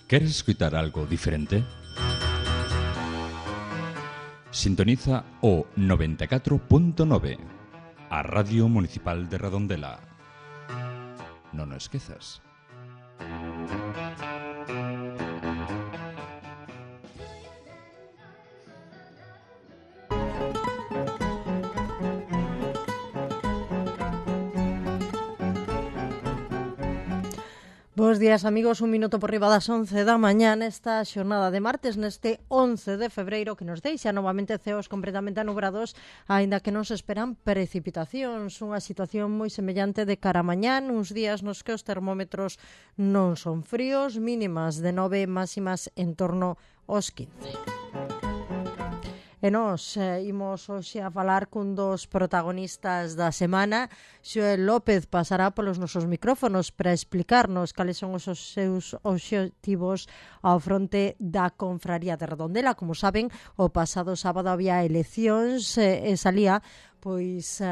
¿Queres escuchar algo diferente? Sintoniza o 94.9, a Radio Municipal de Redondela. Non o esquezas. Bos días, amigos, un minuto por riba das 11 da mañá nesta xornada de martes, neste 11 de febreiro, que nos deixa novamente ceos completamente anubrados, aínda que non se esperan precipitacións, unha situación moi semellante de cara a mañán, uns días nos que os termómetros non son fríos, mínimas de 9, máximas en torno aos 15. E nós imos hoxe a falar cun dos protagonistas da semana. Xoel López pasará polos nosos micrófonos para explicarnos cales son os seus obxectivos ao fronte da Confraría de Redondela. Como saben, o pasado sábado había eleccións e salía pois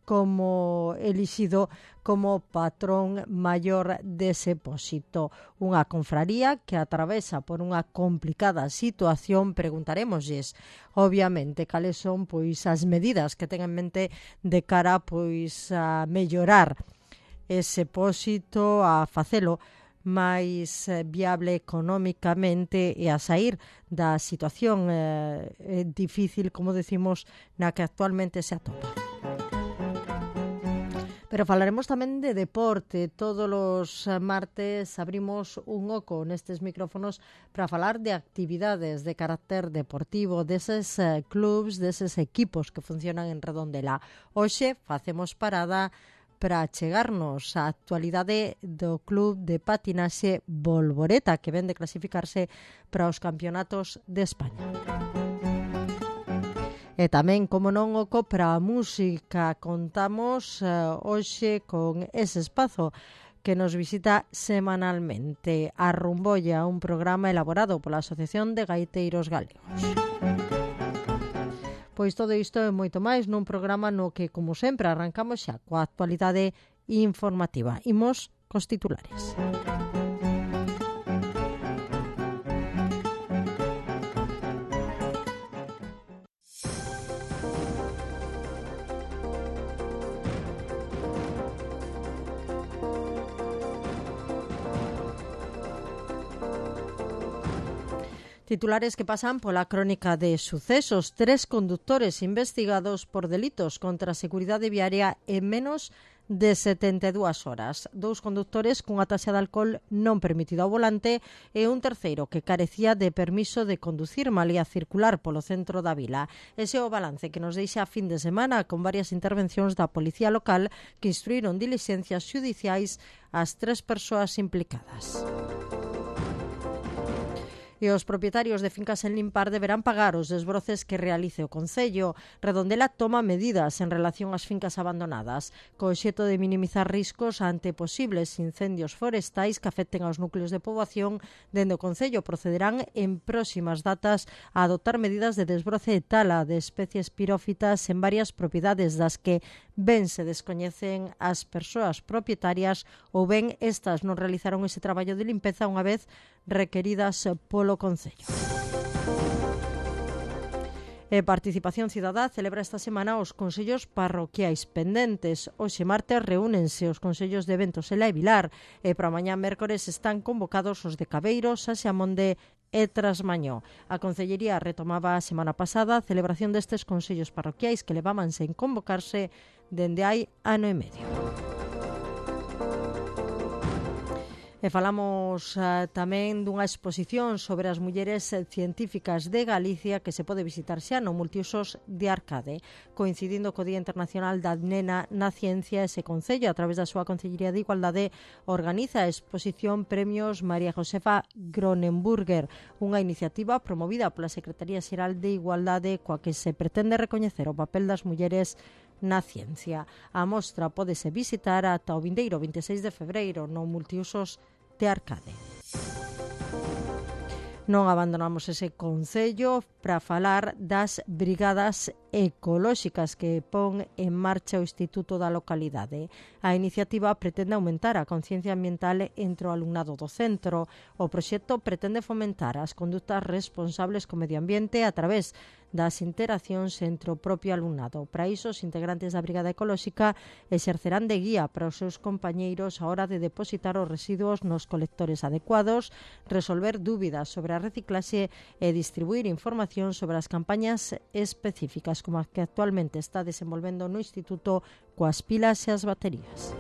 como elixido como patrón maior dese pósito. Unha confraría que atravesa por unha complicada situación. Preguntarémoslles, obviamente, cales son pois as medidas que ten en mente de cara pois a mellorar ese pósito, a facelo máis viable económicamente e a sair da situación difícil, como decimos, na que actualmente se atopa. Pero falaremos tamén de deporte. Todos os martes abrimos un oco nestes micrófonos para falar de actividades de carácter deportivo, deses clubs, deses equipos que funcionan en Redondela. Hoxe facemos parada para chegarnos á actualidade do Club de Patinaxe Bolboreta, que ven de clasificarse para os campeonatos de España. E tamén, como non, oco para a música. Contamos hoxe con ese espazo que nos visita semanalmente, a Rumbolla, un programa elaborado pola Asociación de Gaiteiros Galegos. Pois todo isto e moito máis nun programa no que, como sempre, arrancamos xa coa actualidade informativa. Imos cos titulares. Titulares que pasan pola crónica de sucesos. 3 conductores investigados por delitos contra a seguridade viaria en menos de 72 horas. 2 conductores cunha taxa de alcohol non permitido ao volante e un terceiro que carecía de permiso de conducir malía circular polo centro da vila. Ese é o balance que nos deixa a fin de semana con varias intervencións da Policía Local que instruíron dilixencias xudiciais ás 3 persoas implicadas. E os propietarios de fincas en limpar deberán pagar os desbroces que realice o Concello. Redondela toma medidas en relación ás fincas abandonadas, co obxecto de minimizar riscos ante posibles incendios forestais que afecten aos núcleos de poboación. Dende o Concello procederán en próximas datas a adoptar medidas de desbroce e tala de especies pirófitas en varias propiedades das que ben se descoñecen as persoas propietarias ou ben estas non realizaron ese traballo de limpeza unha vez requeridas polo Concello. Participación Cidadá celebra esta semana os consellos parroquiais pendentes. Hoxe martes reúnense os consellos de Ventos Ela e Vilar e para mañá mércores están convocados os de Cabeiros, Xamonde e Trasmañó. A Concellería retomaba a semana pasada a celebración destes consellos parroquiais que levaban sen convocarse dende hai ano e medio. E falamos tamén dunha exposición sobre as mulleres científicas de Galicia que se pode visitar xa no Multiusos de Arcade. Coincidindo co Día Internacional da Nena na Ciencia, ese Concello, a través da súa Concellería de Igualdade, organiza a exposición Premios María Josefa Gronenburger, unha iniciativa promovida pola Secretaría Xeral de Igualdade coa que se pretende recoñecer o papel das mulleres na ciencia. A mostra pódese visitar ata o vindeiro 26 de febreiro no Multiusos de Arcade. Non abandonamos ese concello para falar das brigadas ecolóxicas que pon en marcha o Instituto da localidade. A iniciativa pretende aumentar a conciencia ambiental entre o alumnado do centro. O proxecto pretende fomentar as condutas responsables co medio ambiente a través das interaccións entre o propio alumnado. Para iso, os integrantes da Brigada Ecolóxica exercerán de guía para os seus compañeiros a hora de depositar os residuos nos colectores adecuados, resolver dúbidas sobre a reciclaxe e distribuir información sobre as campañas específicas como a que actualmente está desenvolvendo no Instituto coas pilas e as baterías.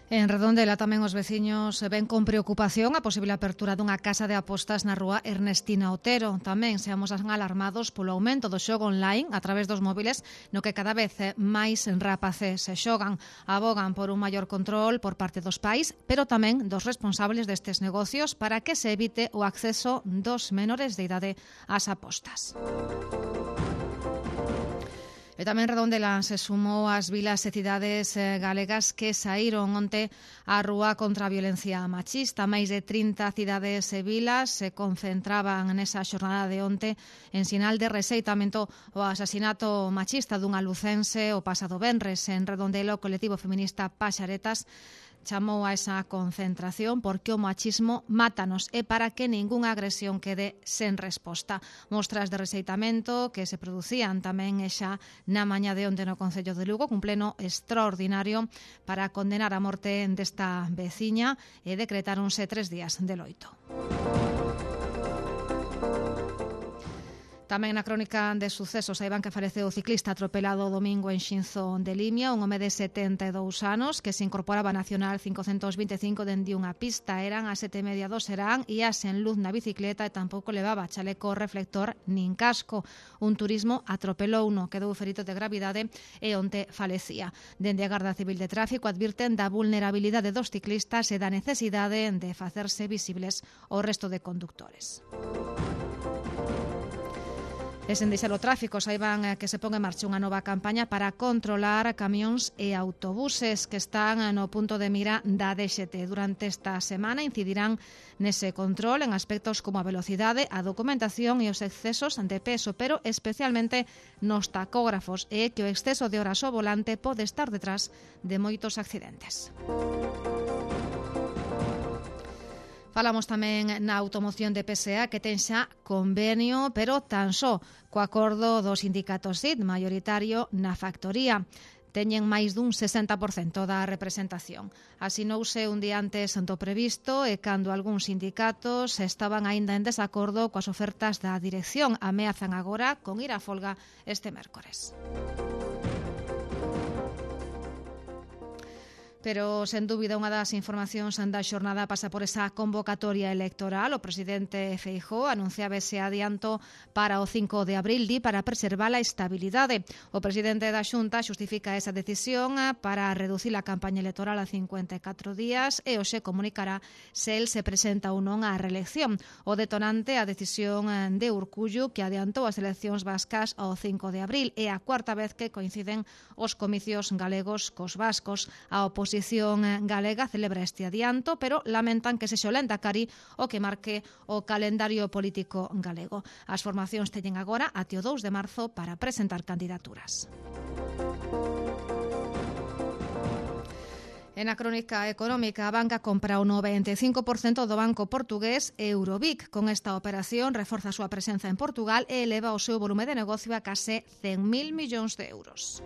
En Redondela tamén os veciños ven con preocupación a posible apertura dunha casa de apostas na rúa Ernestina Otero. Tamén seamos alarmados polo aumento do xogo online a través dos móviles, no que cada vez máis rapaces se xogan. Abogan por un maior control por parte dos pais, pero tamén dos responsables destes negocios para que se evite o acceso dos menores de idade ás apostas. E tamén Redondela se sumou ás vilas e cidades galegas que saíron onte á rúa contra a violencia machista. Máis de 30 cidades e vilas se concentraban nesa xornada de onte en sinal de rexeitamento ao asasinato machista dunha lucense o pasado venres. En Redondela, o colectivo feminista Paxaretas chamou a esa concentración porque o machismo mátanos e para que ningunha agresión quede sen resposta. Mostras de rexeitamento que se producían tamén xa na mañá de onte no Concello de Lugo, cun pleno extraordinario para condenar a morte desta veciña e decretáronse 3 días de loito. Tamén na crónica de sucesos saiban que faleceu o ciclista atropelado o domingo en Xinzo de Limia, un home de 72 anos que se incorporaba a Nacional 525 dende unha pista. Eran as 7:30 do serán, ía sen luz na bicicleta e tampouco levaba chaleco reflector nin casco. Un turismo atropelouno, quedou ferito de gravidade e onte falecía. Dende a Garda Civil de Tráfico advirten da vulnerabilidade dos ciclistas e da necesidade de facerse visibles ao resto de condutores. E sen deixar o tráfico, saiban que se pon en marcha unha nova campaña para controlar camións e autobuses que están no punto de mira da DXT. Durante esta semana incidirán nese control en aspectos como a velocidade, a documentación e os excesos de peso, pero especialmente nos tacógrafos, e que o exceso de horas ao volante pode estar detrás de moitos accidentes. Falamos tamén na automoción de PSA que ten xa convenio, pero tan só co acordo do sindicato SID maioritario na factoría. Teñen máis dun 60% da representación. Asinouse un día antes do previsto e cando algúns sindicatos estaban aínda en desacordo coas ofertas da dirección, ameazan agora con ir á folga este mércores. Pero, sen dúbida, unha das informacións da xornada pasa por esa convocatoria electoral. O presidente Feijóo anunciaba ese adianto para o 5 de abril, para preservar a estabilidade. O presidente da Xunta xustifica esa decisión para reducir a campaña electoral a 54 días e hoxe comunicará se el se presenta ou non á reelección. O detonante a decisión de Urkullu, que adiantou as eleccións vascas ao 5 de abril. É a cuarta vez que coinciden os comicios galegos cos vascos. A oposición galega celebra este adianto, pero lamentan que sexa o Lehendakari o que marque o calendario político galego. As formacións teñen agora até o 2 de marzo para presentar candidaturas. En a crónica económica, a banca compra o 95% do banco portugués Eurobic. Con esta operación reforza a súa presenza en Portugal e eleva o seu volume de negocio a case 100.000 millóns de euros.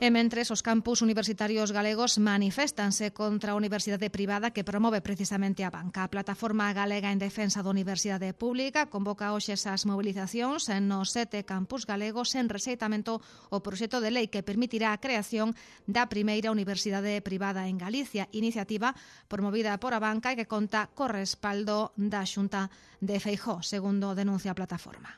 E mentres, os campus universitarios galegos maniféstanse contra a universidade privada que promove precisamente a banca. A Plataforma Galega en Defensa da Universidade Pública convoca hoxe esas movilizacións nos 7 campus galegos en rexeitamento o proxecto de lei que permitirá a creación da primeira universidade privada en Galicia, iniciativa promovida por a banca e que conta co respaldo da Xunta de Feijóo, segundo denuncia a plataforma.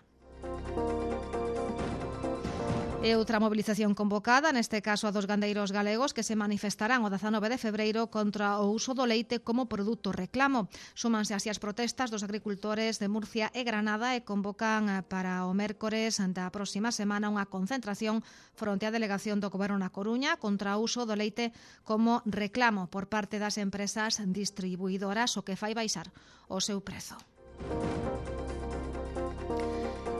E outra mobilización convocada, neste caso a dos gandeiros galegos que se manifestarán o 19 de febreiro contra o uso do leite como produto reclamo. Súmanse así as protestas dos agricultores de Murcia e Granada e convocan para o mércores da próxima semana unha concentración fronte á delegación do Goberno na Coruña contra o uso do leite como reclamo por parte das empresas distribuidoras, o que fai baixar o seu prezo.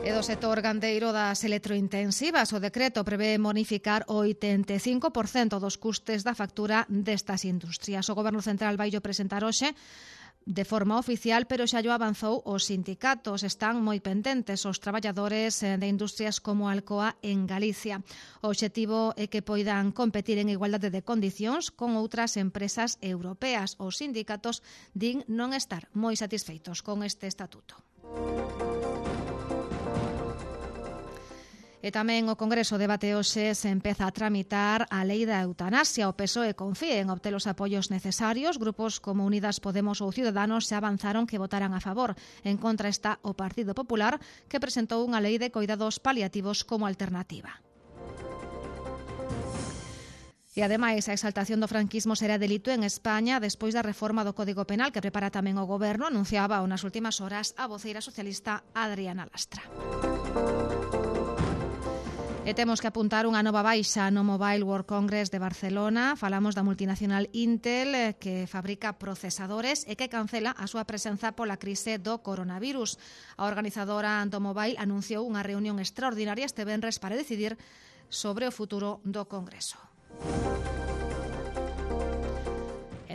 E do sector gandeiro das electrointensivas, o decreto prevé bonificar o 85% dos custes da factura destas industrias. O Goberno Central vai presentar hoxe de forma oficial, pero xa llo avanzou os sindicatos. Están moi pendentes os traballadores de industrias como Alcoa en Galicia. O obxectivo é que poidan competir en igualdade de condicións con outras empresas europeas. Os sindicatos din non estar moi satisfeitos con este estatuto. E tamén o Congreso debate hoxe se empeza a tramitar a lei da eutanasia. O PSOE confía en obter os apoios necesarios. Grupos como Unidas Podemos ou Ciudadanos xa avanzaron que votarán a favor. En contra está o Partido Popular, que presentou unha lei de coidados paliativos como alternativa. E ademais, a exaltación do franquismo será delito en España despois da reforma do Código Penal que prepara tamén o Goberno, anunciaba nas últimas horas a voceira socialista Adriana Lastra. E temos que apuntar unha nova baixa no Mobile World Congress de Barcelona. Falamos da multinacional Intel, que fabrica procesadores e que cancela a súa presenza pola crise do coronavirus. A organizadora do Mobile anunciou unha reunión extraordinaria este venres para decidir sobre o futuro do Congreso.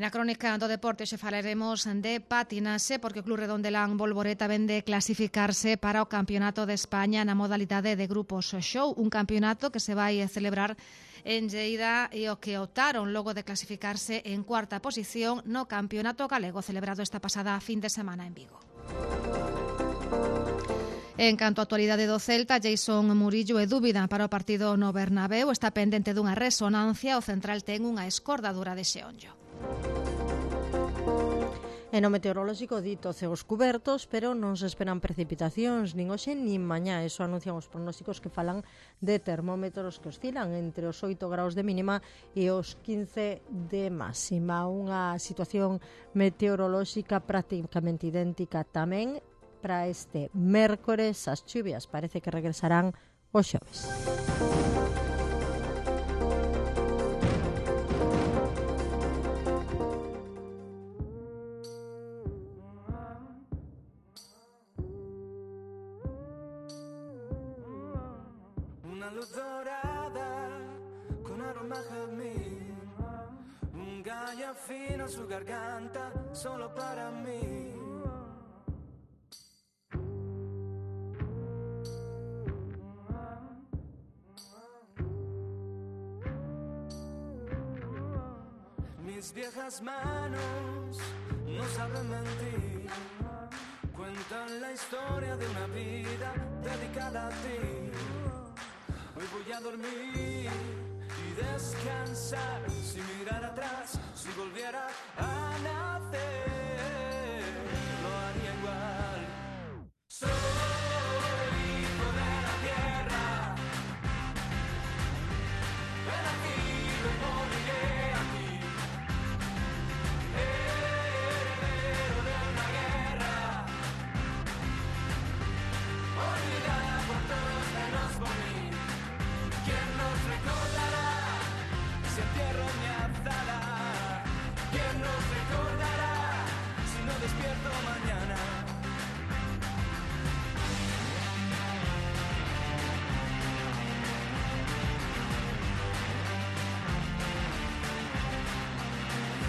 Na crónica do deporte xe falaremos de patinaxe porque o Club Redondelán Bolboreta vende clasificarse para o Campeonato de España na modalidade de grupos show, un campeonato que se vai celebrar en Lleida e o que optaron logo de clasificarse en cuarta posición no Campeonato Galego celebrado esta pasada fin de semana en Vigo. En canto á actualidade do Celta, Jason Murillo é dúbida para o partido no Bernabéu, está pendente dunha resonancia, o central ten unha escordadura de xeonllo. E no meteorolóxico dito ceos cubertos, pero non se esperan precipitacións nin hoxe nin mañá. Eso anuncian os pronósticos que falan de termómetros que oscilan entre os 8 graus de mínima e os 15 de máxima. Unha situación meteorolóxica prácticamente idéntica tamén para este mércores. As chuvias parece que regresarán o xoves. Fino su garganta solo para mí. Mis viejas manos no saben mentir, cuentan la historia de una vida dedicada a ti. Hoy voy a dormir y descansar sin mirar atrás. Si volviera a nacer, lo haría igual. Soy hijo de la tierra, he nacido y moriré aquí, heredero de una guerra, olvidada por todos menos por mí. ¿Quién nos recordará si entierro mi azada? ¿Quién nos recordará si no despierto mañana?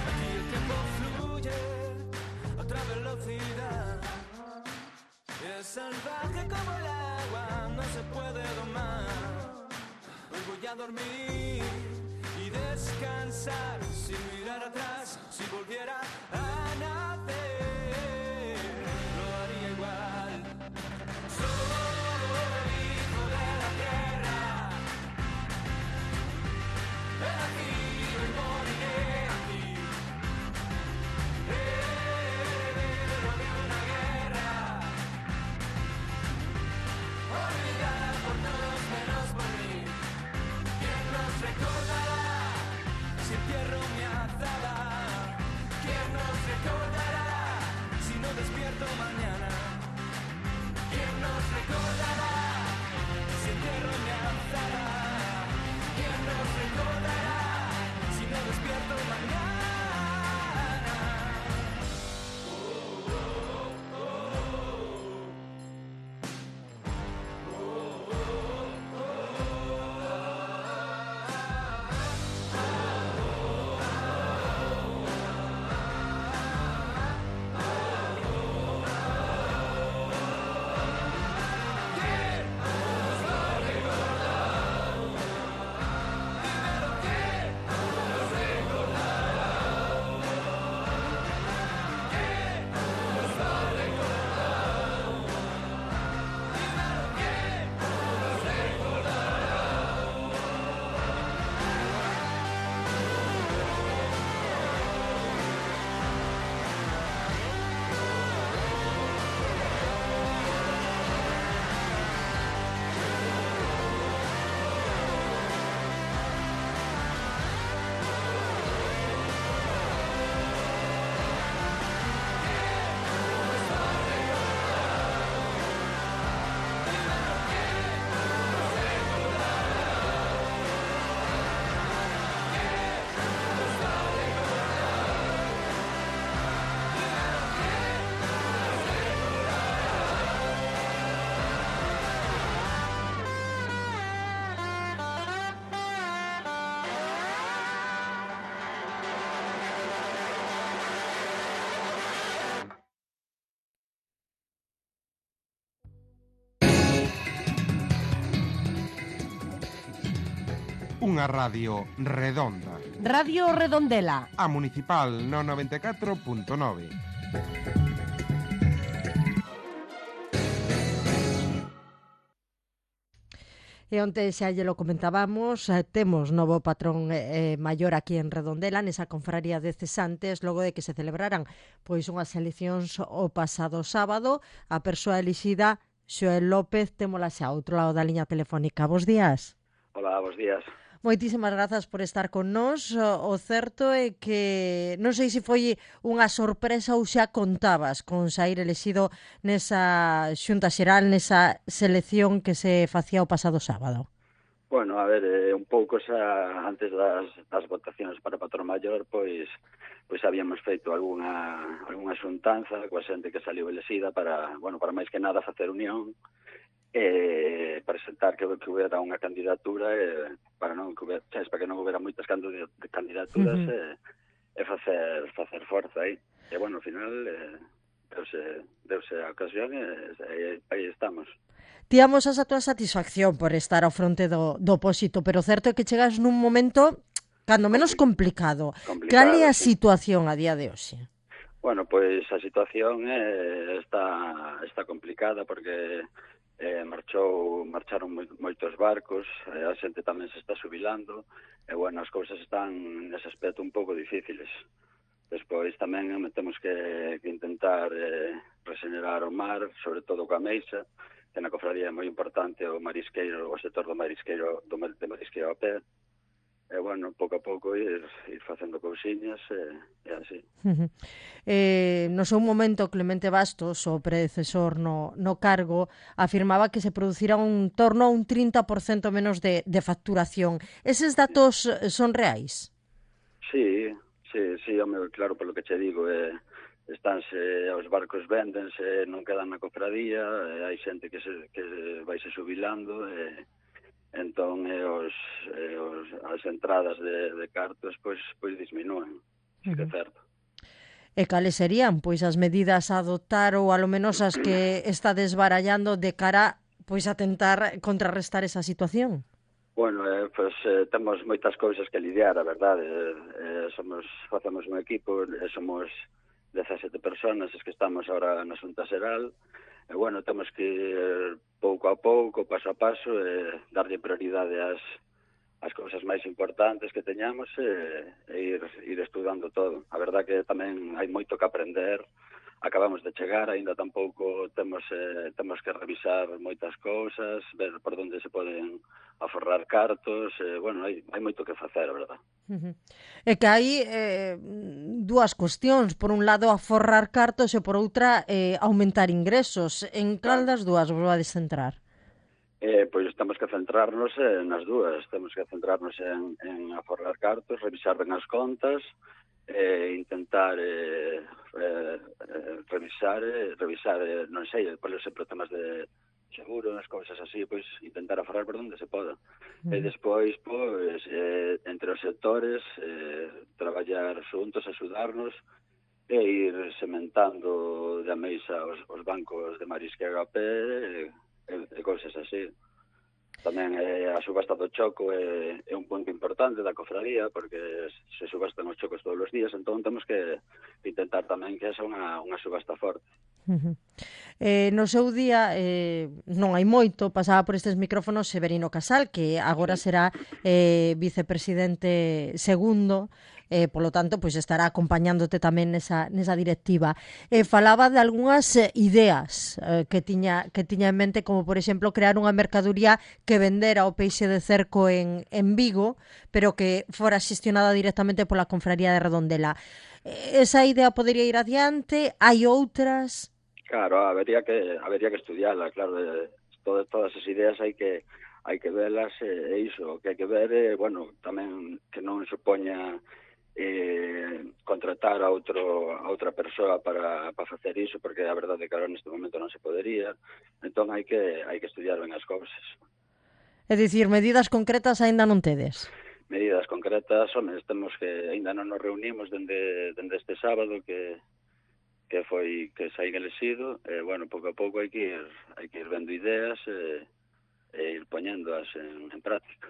Aquí el tiempo fluye a otra velocidad. Es salvaje como el agua, no se puede domar. Hoy voy a dormir y descansar sin mirar atrás. Si volviera a nacer, lo haría igual. Soy hijo de la tierra, he nacido y moriré aquí, heredero de una guerra, olvidada por todos menos por mí. recordará si entierro mi alzada? ¿Quién nos recordará si no despierto mañana? Unha radio redonda. Radio Redondela. A municipal no 94.9. E onte xa lle lo comentábamos, temos novo patrón maior aquí en Redondela, nesa confraría de cesantes, logo de que se celebraran pois unhas eleccións o pasado sábado. A persoa elixida, Xoel López, témola xa ao outro lado da liña telefónica. Bos días. Hola, bos días. Moitísimas grazas por estar con nós. O certo é que non sei se foi unha sorpresa ou xa contabas con sair elexido nesa xunta xeral, nesa selección que se facía o pasado sábado. Bueno, a ver, un pouco xa antes das votacións para patrón maior, pois habíamos feito algunha xuntanza coa xente que saliu elexida para, bueno, para máis que nada facer unión, presentar que hubiera unha candidatura para que non houbera moitas candidaturas e facer forza aí. E bueno, ao final deuse a ocasión e aí estamos. Tíamos a túa satisfacción por estar ao fronte do opósito, pero certo é que chegas nun momento cando menos complicado. Cal é a situación a día de hoxe? Bueno, pois a situación está complicada porque marcharon moitos barcos, a xente tamén se está xubilando, e bueno, as cousas están nese aspecto un pouco difíciles. Despois tamén temos que intentar regenerar o mar, sobre todo coa meixa, que na cofradía é moi importante o marisqueiro, o sector do marisqueiro, de marisqueiro a pé. E, bueno, pouco a pouco ir facendo cousiñas e así. No seu momento, Clemente Bastos, o predecesor no cargo, afirmaba que se producira un torno a un 30% menos de facturación. Eses datos son reais? Sí, home, claro, polo que che digo, estánse, os barcos véndense, non quedan na cofradía, hai xente que vaise xubilando, entón as entradas de cartos pois disminúen, sí que é certo. E cales serían pois as medidas a adoptar ou alo menos as que está desbarallando de cara pois a tentar contrarrestar esa situación? Bueno, temos moitas cousas que lidiar, a verdade. Facemos un equipo, somos 17 personas as que estamos ahora na Xunta Xeral. E, bueno, temos que ir pouco a pouco, paso a paso, darlle prioridade ás cousas máis importantes que teñamos e ir estudando todo. A verdade que tamén hai moito que aprender acabamos de chegar, aínda tampouco temos que revisar moitas cousas, ver por onde se poden aforrar cartos, bueno, hai moito que facer, a verdad. É que hai dúas cuestións, por un lado aforrar cartos e por outra aumentar ingresos. En cal das dúas vos vades centrar? Pois temos que centrarnos nas dúas, temos que centrarnos en aforrar cartos, revisar ben as contas, intentar revisar, non sei, por exemplo, temas de seguro, as cousas así, pois intentar aforrar por onde se poda. E despois, pois, entre os sectores, traballar xuntos, axudarnos, e ir sementando de ameisa os bancos de Marisque HP, e cousas así. Tamén a subasta do choco é un punto importante da cofradía, porque se subastan os chocos todos os días, entón temos que intentar tamén que esa unha subasta forte. No seu día, non hai moito, pasaba por estes micrófonos Severino Casal, que agora será vicepresidente segundo, polo tanto, pois estará acompañándote tamén nesa directiva. Falaba de algunhas ideas que tiña en mente, como por exemplo crear unha mercadoría que vendera o peixe de cerco en Vigo, pero que fora xestionada directamente pola Confraría de Redondela. Esa idea podería ir adiante? Hai outras? Claro, habería que estudiarla, claro, todas as ideas hai que velas, e iso, que hai que ver, bueno, tamén que non supoña contratar a outra persoa para facer iso, porque a verdade é que ahora neste momento non se podería, entón hai que estudiar ben as cousas. É dicir, medidas concretas aínda non tedes? Medidas concretas, home, temos que aínda non nos reunimos dende este sábado que saín elexido, bueno, pouco a pouco hai que ir vendo ideas e ir poñéndoas en práctica.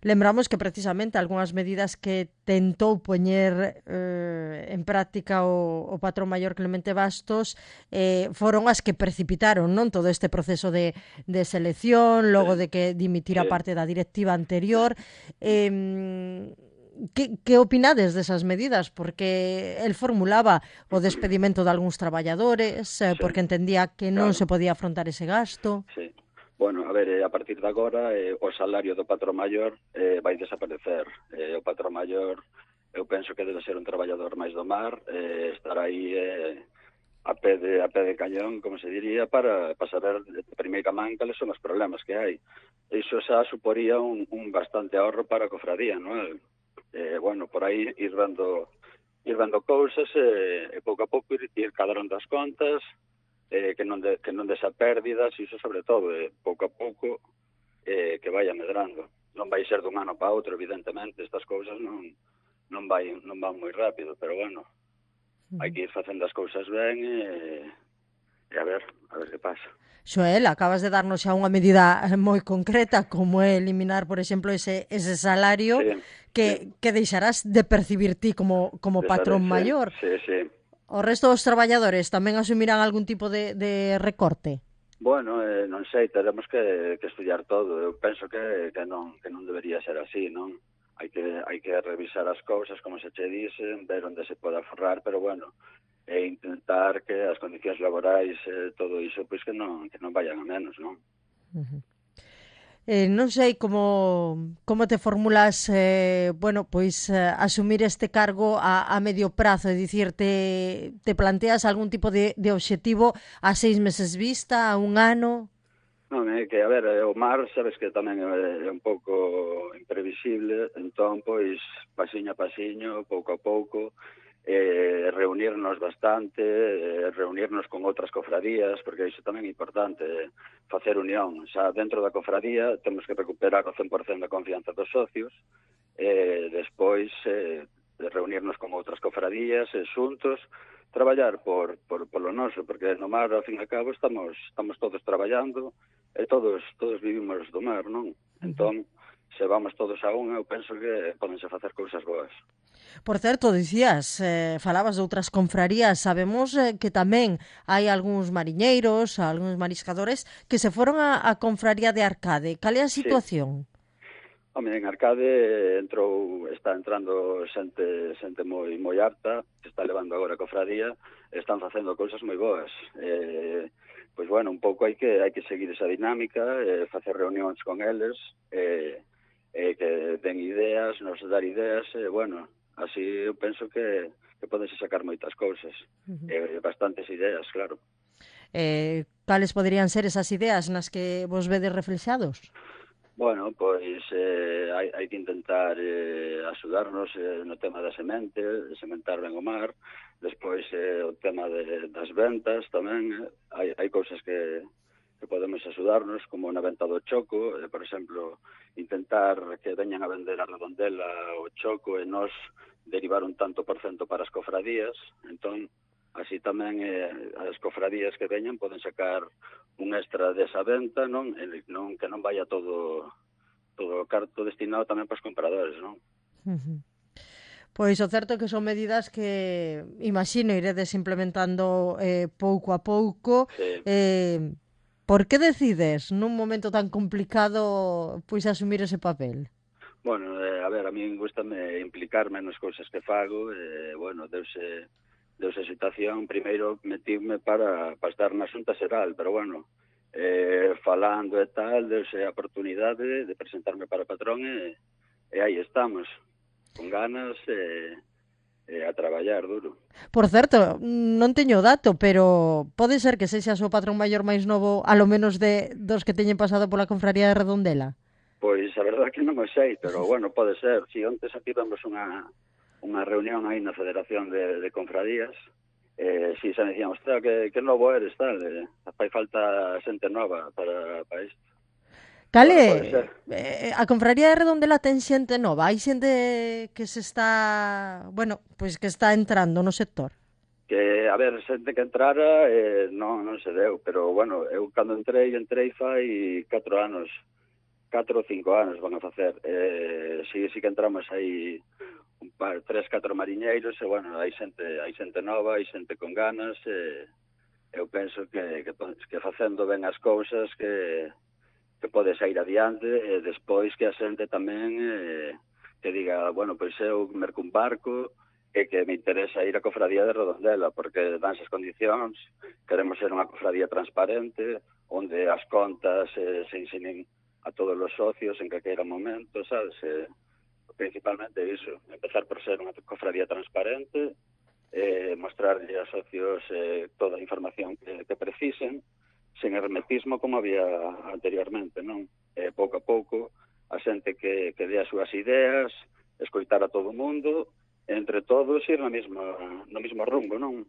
Lembramos que precisamente algunhas medidas que tentou poñer en práctica o patrón maior Clemente Bastos foron as que precipitaron, non, todo este proceso de selección, logo de que dimitira parte da directiva anterior. Que opinades desas medidas? Porque el formulaba o despedimento de algúns traballadores, porque entendía que non se podía afrontar ese gasto. Sí. Bueno, a ver, a partir de agora o salario do patrón maior vai desaparecer. O patrón maior, eu penso que debe ser un traballador máis do mar, estar aí a pé de cañón, como se diría, para saber de primeira man cales son os problemas que hai. Iso xa suporía un bastante ahorro para a cofradía, non? Bueno, por aí ir vendo cousas e pouco a pouco ir cadrando as contas, que non desa pérdidas, iso sobre todo, pouco a pouco que vaya medrando. Non vai ser dun ano para outro, evidentemente, estas cousas non van moi rápido, pero bueno, hai que ir facendo as cousas ben e a ver que pasa. Xoel, acabas de darnos xa unha medida moi concreta, como é eliminar, por exemplo, ese salario que deixarás de percibir ti como patrón maior. Sí. O resto dos traballadores tamén asumirán algún tipo de recorte? Bueno, non sei, teremos que estudiar todo. Eu penso que non debería ser así, non? Hai que revisar as cousas, como se che dicen, ver onde se pode aforrar, pero bueno, e intentar que as condicións laborais, todo iso, pois que non vayan a menos, non? Non sei como te formulas asumir este cargo a medio prazo, é dicir, te planteas algún tipo de objetivo a 6 meses vista, a un ano? Non, é que, a ver, o mar, sabes que tamén é un pouco imprevisible, entón, pois, pasiño a pasiño, pouco a pouco, reunirnos bastante, reunirnos con outras cofradías, porque iso tamén é importante, facer unión. Xa dentro da cofradía temos que recuperar o 100% da confianza dos socios, despois reunirnos con outras cofradías, xuntos, traballar polo noso, porque no mar, ao fin e ao cabo, estamos todos traballando, e todos vivimos do mar, non? Entón, se vamos todos a unha, eu penso que podense facer cousas boas. Por certo, dicías, falabas de outras confrarías, sabemos que tamén hai algúns mariñeiros, algúns mariscadores que se foron a confraría de Arcade. Cal é a situación? Home, en Arcade está entrando xente moi harta, que está levando agora a cofradía, están facendo cousas moi boas. Pois bueno, un pouco hai que seguir esa dinámica, facer reunións con eles, que den ideas, nos dar ideas, bueno, así eu penso que podense sacar moitas cousas, bastantes ideas, claro. Cales poderían ser esas ideas nas que vos vedes reflexados? Bueno, pois hai que intentar axudarnos no tema da semente, sementar ben o mar, despois o tema das ventas tamén, hai cousas que podemos axudarnos, como na venta do choco, por exemplo, intentar que veñan a vender a Redondela o choco e nós derivar un tanto por cento para as cofradías, entón, así tamén as cofradías que veñan poden sacar un extra desa venta, non que non vaya todo o carto destinado tamén para os compradores, non? Pois o certo é que son medidas que, imagino, iredes implementando pouco a pouco. Sí. Por que decides, nun momento tan complicado, pois asumir ese papel? Bueno, a ver, a min gustame implicarme nas cousas que fago, bueno, deuse a situación, primeiro metivme para estar na Xunta Xeral, pero bueno, falando e tal, deuse a oportunidade de presentarme para patrón e aí estamos, con ganas a traballar duro. Por certo, non teño o dato, pero pode ser que sexas o patrón maior máis novo, alo menos dos que teñen pasado pola confraría de Redondela? Pois a verdade que non o sei, pero bueno, pode ser. Si ontes aquí tivemos unha reunión aí na Federación de Confradías, si se me dicían, ostras, que novo eres, tal, fai falta xente nova para isto. Cale, a confraría de Redondela ten xente nova, hai xente que se está, bueno, pois que está entrando no sector. Que, a ver, xente que entrara non se deu, pero bueno, eu cando entrei fai 4 anos, 4 ou 5 anos van a facer. Si que entramos aí 3, 4 mariñeiros, e bueno, hai xente nova, hai xente con ganas, eu penso que facendo ben as cousas que pode sair adiante, e despois que a xente tamén que diga, bueno, pois eu merco un barco e que me interesa ir á cofradía de Redondela, porque dan esas condicións, queremos ser unha cofradía transparente, onde as contas se ensinen a todos os socios en calquera momento, sabes? Principalmente iso, empezar por ser unha cofradía transparente, mostrarlle aos socios toda a información que precisen, sen hermetismo como había anteriormente, non? Pouco a pouco, a xente que dé as súas ideas, escoitar a todo o mundo, entre todos ir no mesmo rumbo, non?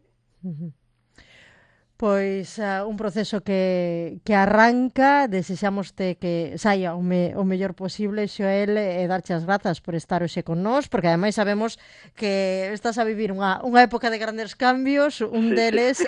Pois un proceso que arranca, desexamoste que saia o mellor posible, Xoel, e darche as grazas por estar hoxe con nós, porque ademais sabemos que estás a vivir unha época de grandes cambios, un deles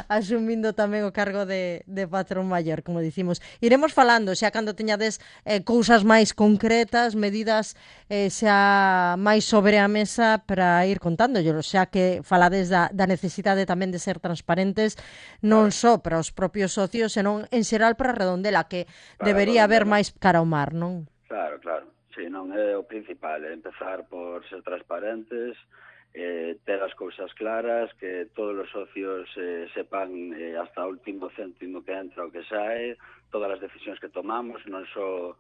asumindo tamén o cargo de patrón maior, como dicimos. Iremos falando, xa cando teñades cousas máis concretas, medidas xa máis sobre a mesa para ir contándollo, xa que falades da necesidade tamén de ser transparentes, non só para os propios socios, senón en xeral para Redondela, que debería haber máis cara ao mar, non? Claro. Si, non é o principal, é empezar por ser transparentes, ter as cousas claras, que todos os socios sepan hasta o último céntimo que entra o que sae, todas as decisións que tomamos, non só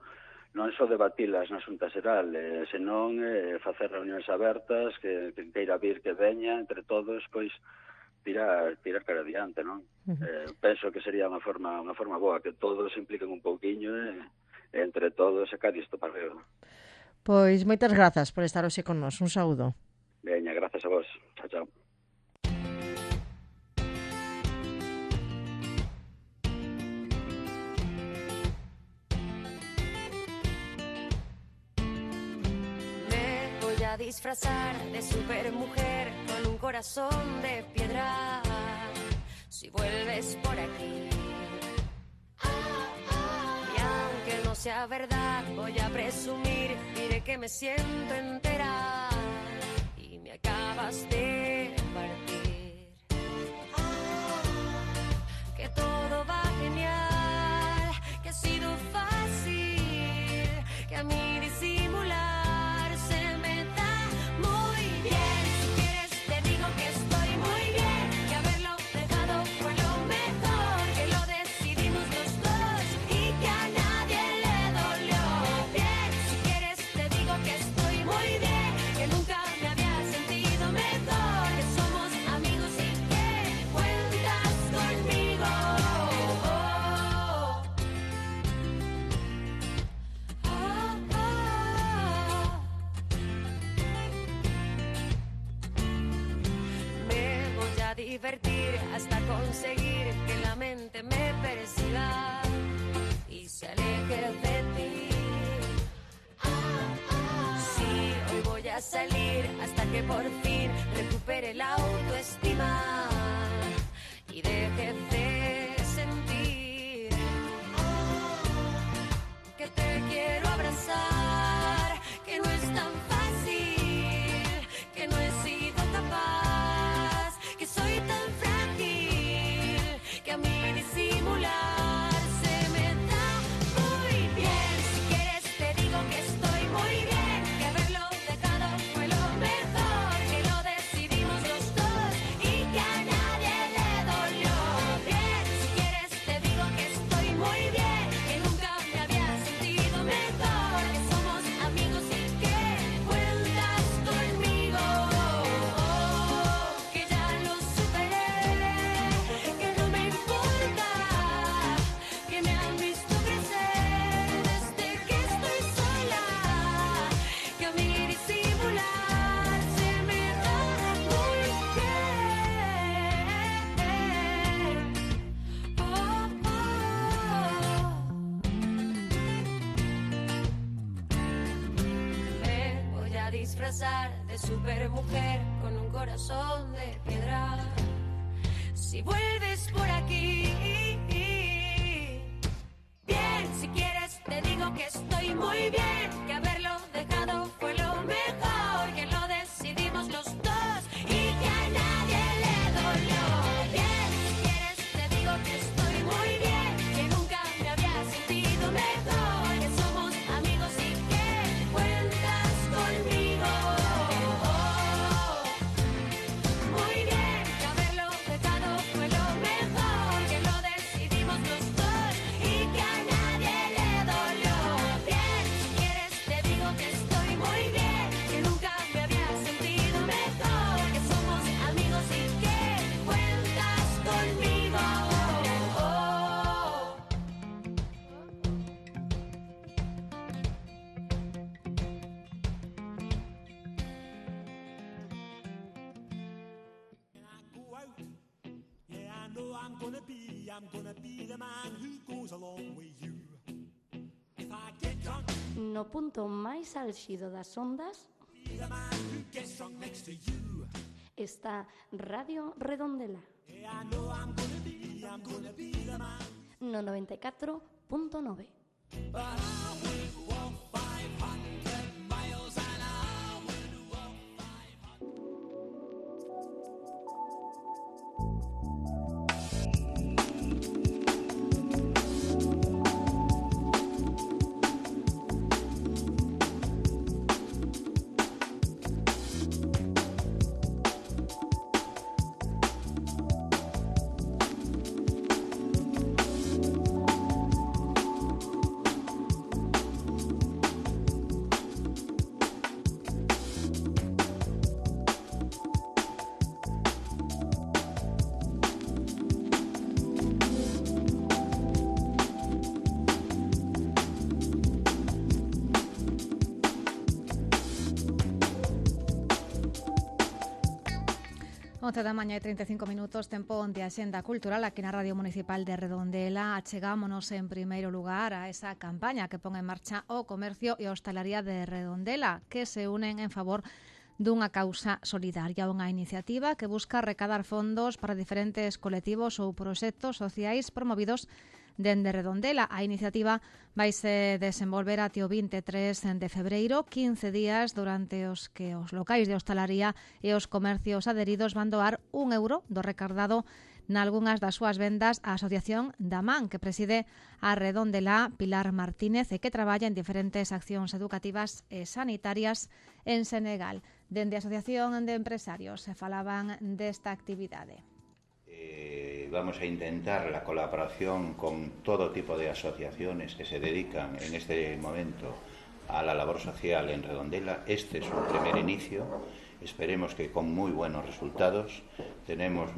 debatilas na Xunta Xeral, senón facer reunións abertas, que queira vir que veña, entre todos, pois, tirar cara adiante, non? Penso que sería unha forma boa, que todos se impliquen un pouquiño e entre todos sacar isto para arriba. Pois moitas grazas por estar hoxe con nós. Un saúdo. Veña, grazas a vos. Chao. Me voy a disfrazar de supermujer con un corazón de piedra. Si vuelves por aquí, y aunque no sea verdad, voy a presumir, diré que me siento entera y me acabas de partir. Que todo va genial, que ha sido fácil, que a mí decir conseguir que la mente me persiga y se aleje de ti. Sí, hoy voy a salir hasta que por fin recupere la autoestima y deje de sentir que te quiero abrazar, que no es tan fácil, que no he sido capaz, que soy tan frágil, que a mí disimular se me da muy bien. Si quieres te digo que estoy muy bien, que haberlo dejado fue lo mejor, que lo decidimos los dos y que a nadie le dolió. Bien, si quieres te digo que estoy muy bien, que nunca me había sentido mejor, que somos amigos y que cuentas conmigo, que ya lo superé, que no me importa, que me han visto crecer desde que estoy sola, que a mí disimular se me da muy bien. Me voy a disfrazar de supermujer con un corazón de piedra. Si vuelves por aquí, bien, si quieres te digo que estoy muy bien, que haberlo dejado fue lo mejor, que lo decidimos los dos y que a nadie le dolió. Bien, si quieres te digo que estoy muy bien, que nunca me había sentido mejor, que somos amigos y que cuentas conmigo. Muy bien, que haberlo dejado fue lo mejor, que lo decidimos los dos y que a nadie le dolió. Bien, si quieres te digo que estoy muy bien, que nunca me había sentido mejor, que somos amigos y que cuentas conmigo. No punto máis álxido das ondas está Radio Redondela no 94.9. Once da mañá e 35 minutos, tempo de Axenda Cultural aquí na Radio Municipal de Redondela. Achegámonos en primeiro lugar a esa campaña que pon en marcha o comercio e a hostalería de Redondela, que se unen en favor dunha causa solidaria, unha iniciativa que busca recadar fondos para diferentes colectivos ou proxectos sociais promovidos dende Redondela. A iniciativa vaise desenvolver até o 23 de febreiro, 15 días durante os que os locais de hostalaría e os comercios adheridos van doar €1 do recardado nalgunhas das súas vendas á Asociación da Man, que preside a Redondela Pilar Martínez e que traballa en diferentes accións educativas e sanitarias en Senegal. Dende a Asociación de Empresarios se falaban desta actividade. Vamos a intentar la colaboración con todo tipo de asociaciones que se dedican en este momento a la labor social en Redondela. Este es un primer inicio, esperemos que con muy buenos resultados. Tenemos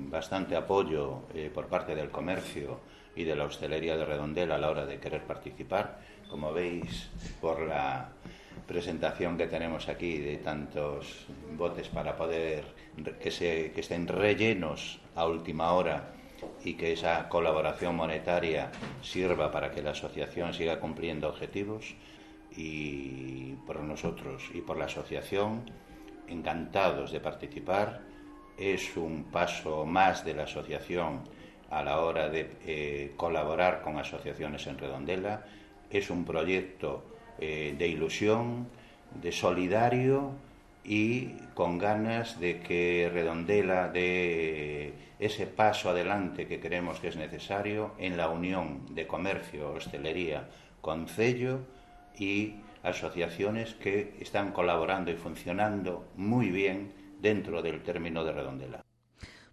bastante apoyo por parte del comercio y de la hostelería de Redondela a la hora de querer participar. Como veis por la presentación que tenemos aquí de tantos botes para poder que estén rellenos a última hora y que esa colaboración monetaria sirva para que la asociación siga cumpliendo objetivos, y por nosotros y por la asociación encantados de participar. Es un paso más de la asociación a la hora de colaborar con asociaciones en Redondela. Es un proyecto de ilusión, de solidario y con ganas de que Redondela dé ese paso adelante que creemos que es necesario en la unión de comercio, hostelería, concello y asociaciones que están colaborando y funcionando moi bien dentro del término de Redondela.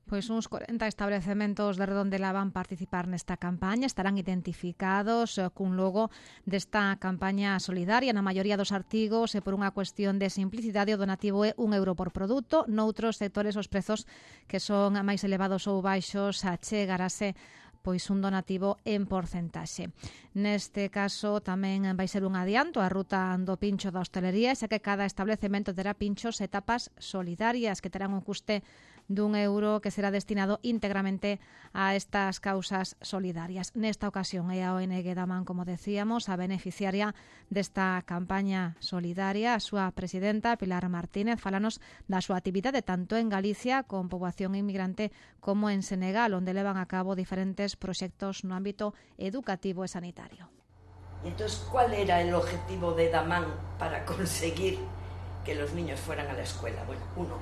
Pois uns 40 establecementos de Redondela van participar nesta campaña, estarán identificados cun logo desta campaña solidaria. Na maioría dos artigos, por unha cuestión de simplicidade, o donativo é €1 por produto. Noutros sectores os prezos que son máis elevados ou baixos achegarase pois un donativo en porcentaxe. Neste caso tamén vai ser un adianto a ruta do pincho da hostelería, xa que cada establecemento terá pinchos e tapas solidarias que terán un custe d'1 que será destinado íntegramente a estas causas solidarias. Nesta ocasión é a ONG Daman, como decíamos, a beneficiaria desta campaña solidaria. A súa presidenta, Pilar Martínez, falanos da súa actividade tanto en Galicia con poboación inmigrante como en Senegal, onde levan a cabo diferentes proxectos no ámbito educativo e sanitario. Y entonces, ¿cuál era el objetivo de Daman para conseguir que los niños fueran a la escuela? Bueno, uno,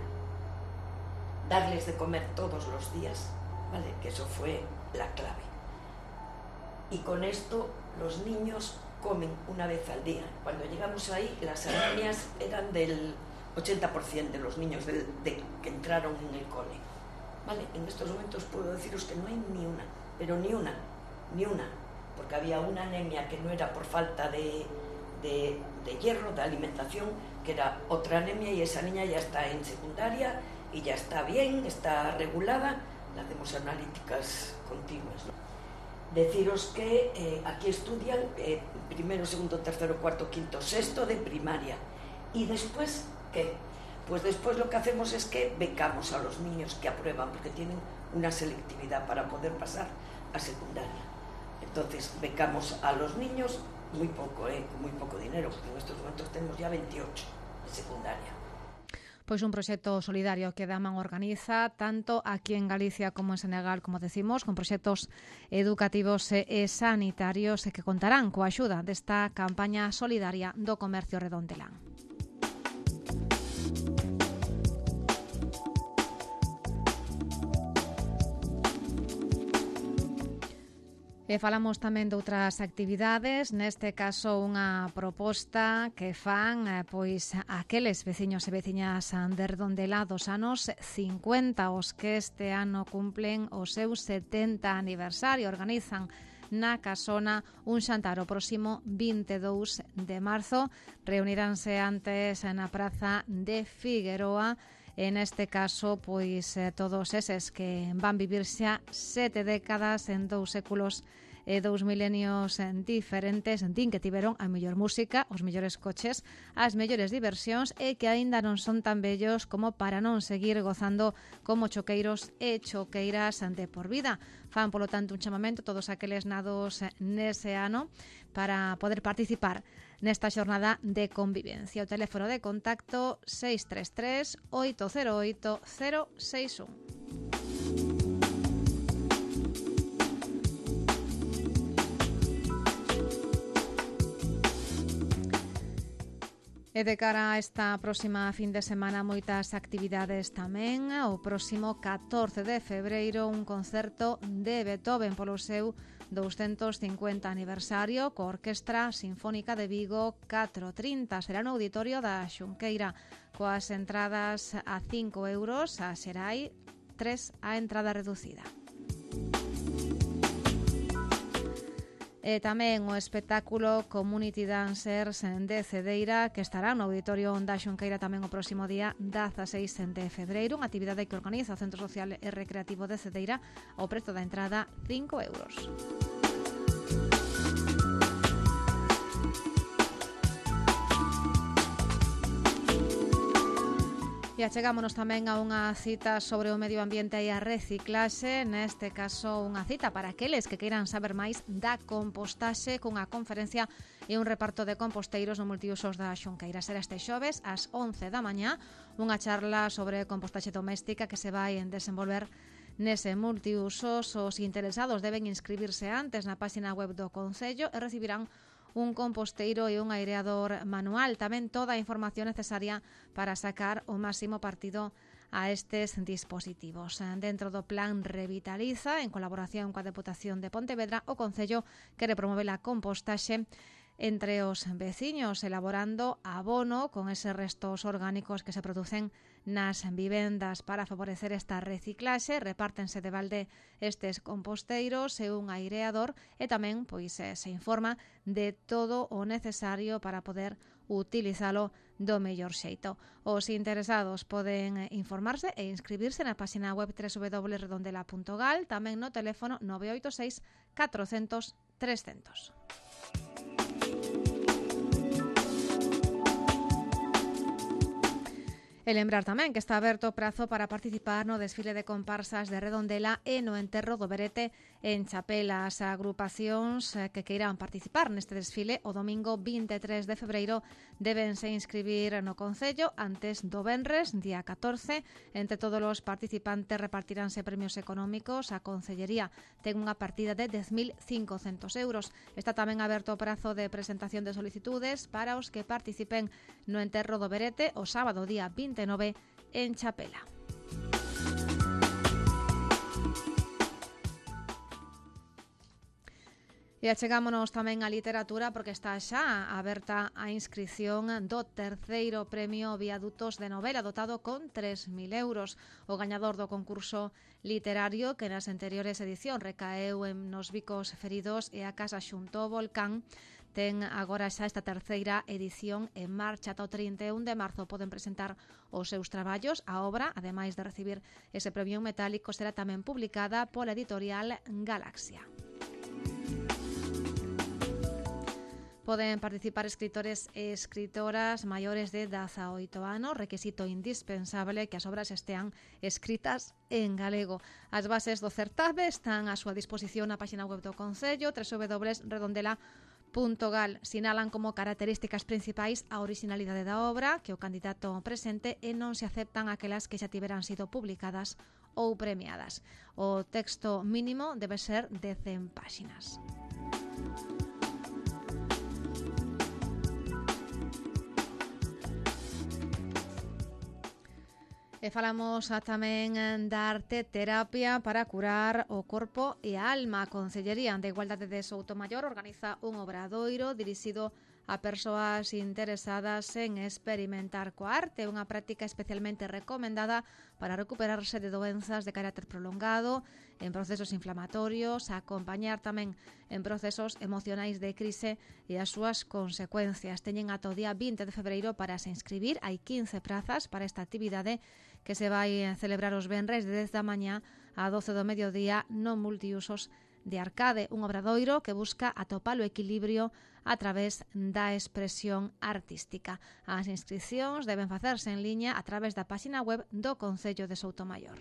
darles de comer todos los días, ¿vale? Que eso fue la clave. Y con esto los niños comen una vez al día. Cuando llegamos ahí, las anemias eran del 80% de los niños que entraron en el cole. ¿Vale? En estos momentos puedo deciros que no hay ni una, pero ni una, porque había una anemia que no era por falta de hierro, de alimentación, que era otra anemia, y esa niña ya está en secundaria y ya está bien, está regulada. Le hacemos analíticas continuas, ¿no? Deciros que aquí estudian primero, segundo, tercero, cuarto, quinto, sexto de primaria. Y después, ¿qué? Pues después lo que hacemos es que becamos a los niños que aprueban, porque tienen una selectividad para poder pasar a secundaria. Entonces becamos a los niños muy poco, con muy poco dinero, porque en estos momentos tenemos ya 28 de secundaria. Pois un proxecto solidario que Daman organiza tanto aquí en Galicia como en Senegal, como decimos, con proxectos educativos e sanitarios que contarán coa axuda desta campaña solidaria do comercio redondelán. E falamos tamén de outras actividades, neste caso unha proposta que fan pois aqueles veciños e veciñas de Redondela dos anos 50, os que este ano cumplen o seu 70 aniversario. Organizan na Casona un xantar o próximo 22 de marzo. Reuniránse antes na Praza de Figueroa. En este caso, pois todos eses que van vivir xa 7 décadas en 2 séculos e 2 milenios diferentes, din que tiveron a mellor música, os mellores coches, as mellores diversións e que aínda non son tan bellos como para non seguir gozando como choqueiros e choqueiras de por vida. Fan, polo tanto, un chamamento a todos aqueles nados nese ano para poder participar nesta xornada de convivencia. O teléfono de contacto 633 808 061. E de cara a esta próxima fin de semana, moitas actividades tamén. O próximo 14 de febreiro, un concerto de Beethoven polo seu 250 aniversario coa Orquestra Sinfónica de Vigo 430. Será no auditorio da Xunqueira, coas entradas a €5, a Xerai 3 a entrada reducida. E tamén o espectáculo Community Dancers de Cedeira, que estará no Auditorio da Xunqueira tamén o próximo día 16 de febreiro, unha actividade que organiza o Centro Social e Recreativo de Cedeira. O prezo da entrada 5 euros. E achegámonos tamén a unha cita sobre o medio ambiente e a reciclaxe, neste caso unha cita para aqueles que queiran saber máis da compostaxe, cunha conferencia e un reparto de composteiros no multiusos da Xunqueira. Será este xoves ás 11 da mañá, unha charla sobre compostaxe doméstica que se vai desenvolver nese multiusos. Os interesados deben inscribirse antes na página web do Concello e recibirán un composteiro e un aireador manual. Tamén toda a información necesaria para sacar o máximo partido a estes dispositivos. Dentro do plan Revitaliza, en colaboración coa Deputación de Pontevedra, o Concello quere promover a compostaxe entre os veciños, elaborando abono con eses restos orgánicos que se producen nas vivendas. Para favorecer esta reciclaxe, repártense de balde estes composteiros e un aireador, e tamén se informa de todo o necesario para poder utilizalo do mellor xeito. Os interesados poden informarse e inscribirse na página web www.redondela.gal, tamén no teléfono 986 400 300. E lembrar tamén que está aberto o prazo para participar no desfile de comparsas de Redondela e no enterro do Berete en Chapela. As agrupacións que queiran participar neste desfile o domingo 23 de febreiro debense inscribir no Concello antes do venres, día 14. Entre todos os participantes repartiránse premios económicos. A Concellería ten unha partida de 10.500 euros. Está tamén aberto o prazo de presentación de solicitudes para os que participen no enterro do Berete o sábado día 29 en Chapela. E achegámonos tamén á literatura porque está xa aberta a inscripción do terceiro premio Viadutos de novela, dotado con 3.000 euros. O gañador do concurso literario, que nas anteriores edicións recaeu nos Bicos Feridos e a Casa xunto ao Volcán, ten agora xa esta terceira edición en marcha. Ata o 31 de marzo poden presentar os seus traballos. A obra, ademais de recibir ese premio metálico, será tamén publicada pola editorial Galaxia. Poden participar escritores e escritoras maiores de 18 anos, requisito indispensable que as obras estean escritas en galego. As bases do certame están á súa disposición na página web do Concello, www.redondela.gal. Sinalan como características principais a originalidade da obra, que o candidato presente e non se aceptan aquelas que xa tiveran sido publicadas ou premiadas. O texto mínimo debe ser de 100 páxinas. E falamos tamén da arte terapia para curar o corpo e a alma. A Concellería de Igualdade de Soutomaior organiza un obradoiro dirixido a persoas interesadas en experimentar coa arte, unha práctica especialmente recomendada para recuperarse de doenzas de carácter prolongado, en procesos inflamatorios, a acompañar tamén en procesos emocionais de crise e as súas consecuencias. Teñen ata o día 20 de febreiro para se inscribir. Hai 15 prazas para esta actividade que se vai celebrar os venres de 10 da mañá a 12 do mediodía no multiusos de Arcade, un obradoiro que busca atopar o equilibrio a través da expresión artística. As inscripcións deben facerse en liña a través da página web do Concello de Soutomaior.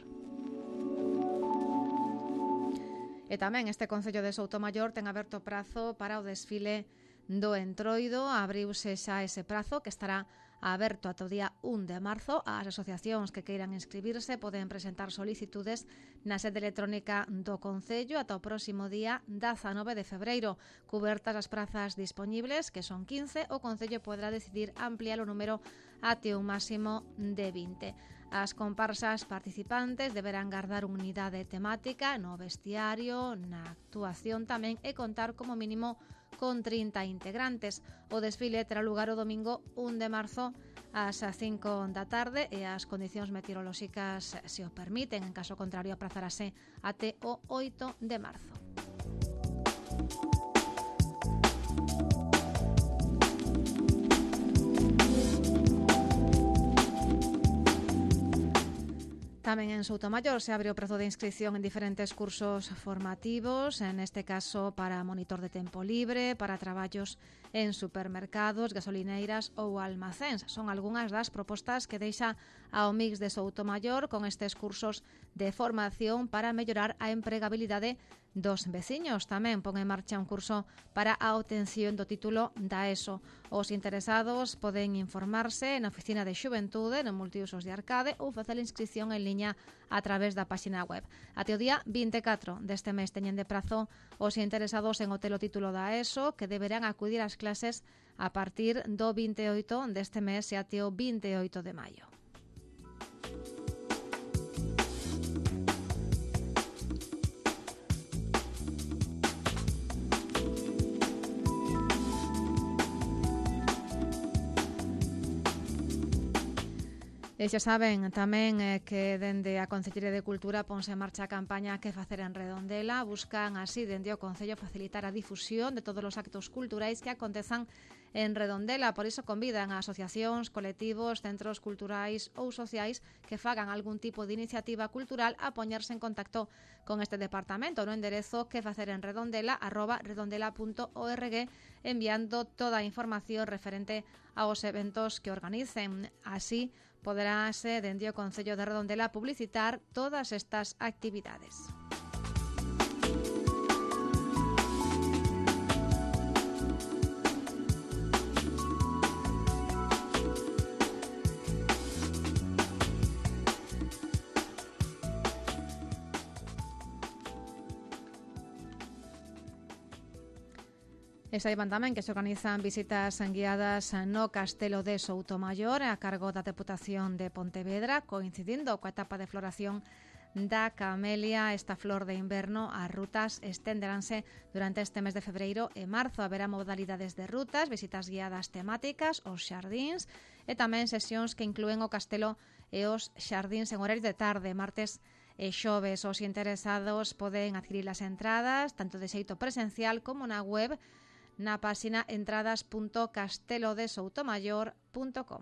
E tamén este Concello de Soutomaior ten aberto prazo para o desfile do Entroido. Abriuse xa ese prazo, que estará aberto ata o día 1 de marzo. As asociacións que queiran inscribirse poden presentar solicitudes na sede electrónica do Concello ata o próximo día 19 de febreiro. Cubertas as prazas dispoñibles, que son 15, o Concello poderá decidir ampliar o número até un máximo de 20. As comparsas participantes deberán guardar unha unidade temática no vestiario, na actuación tamén, e contar como mínimo con 30 integrantes. O desfile terá lugar o domingo 1 de marzo ás 5 da tarde e as condicións meteorolóxicas se o permiten. En caso contrario, aprazarase até o 8 de marzo. Tamén en Soutomaior se abre o prazo de inscripción en diferentes cursos formativos, en este caso para monitor de tempo libre, para traballos en supermercados, gasolineiras ou almacéns. Son algunhas das propostas que deixa a Omix de Soutomaior con estes cursos de formación para mellorar a empregabilidade dos veciños. Tamén pon en marcha un curso para a obtención do título da ESO. Os interesados poden informarse na Oficina de Xuventude no Multiusos de Arcade ou facer a inscripción en liña a través da páxina web. Até o día 24 deste mes teñen de prazo os interesados en obter o título da ESO, que deberán acudir ás clases a partir do 28 deste mes e até o 28 de maio. E xa saben tamén que dende a Concellería de Cultura ponse en marcha a campaña Que facer en Redondela. Buscan así dende o Concello facilitar a difusión de todos os actos culturais que acontezan en Redondela. Por iso convidan a asociacións, colectivos, centros culturais ou sociais que fagan algún tipo de iniciativa cultural a poñerse en contacto con este departamento no enderezo quefacerenredondela@redondela.org, enviando toda a información referente aos eventos que organicen. Así poderase dende o Concello de Redondela publicitar todas estas actividades. E saiban tamén que se organizan visitas guiadas no Castelo de Soutomaior a cargo da Deputación de Pontevedra, coincidindo coa etapa de floración da camelia, esta flor de inverno. As rutas estenderanse durante este mes de febreiro e marzo. Haberá modalidades de rutas, visitas guiadas temáticas, os xardíns e tamén sesións que inclúen o castelo e os xardíns en horario de tarde, martes e xoves. Os interesados poden adquirir as entradas tanto de xeito presencial como na web na páxina entradas.castelodesoutomayor.com.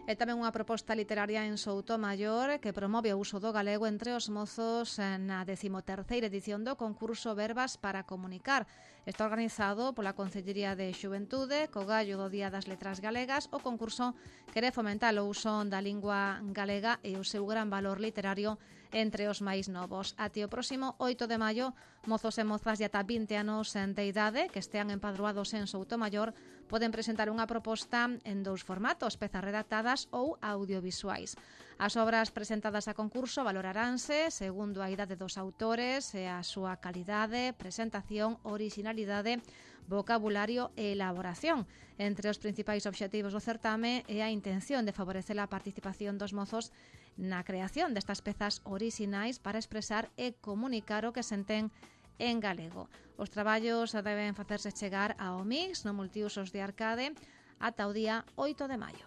E tamén unha proposta literaria en Soutomaior que promove o uso do galego entre os mozos na 13ª edición do concurso Verbas para Comunicar. Está organizado pola Concellería de Xuventude co gallo do Día das Letras Galegas. O concurso quere fomentar o uso da lingua galega e o seu gran valor literario entre os máis novos. Até o próximo 8 de maio, mozos e mozas de ata 20 anos de idade que estean empadroados en Soutomaior poden presentar unha proposta en dous formatos, pezas redactadas ou audiovisuais. As obras presentadas a concurso valoraranse segundo a idade dos autores e a súa calidade, presentación, orixinalidade, vocabulario e elaboración. Entre os principais obxectivos do certame é a intención de favorecer a participación dos mozos na creación destas pezas orixinais para expresar e comunicar o que senten en galego. Os traballos deben facerse chegar ao Omix no Multiusos de Arcade ata o día 8 de maio.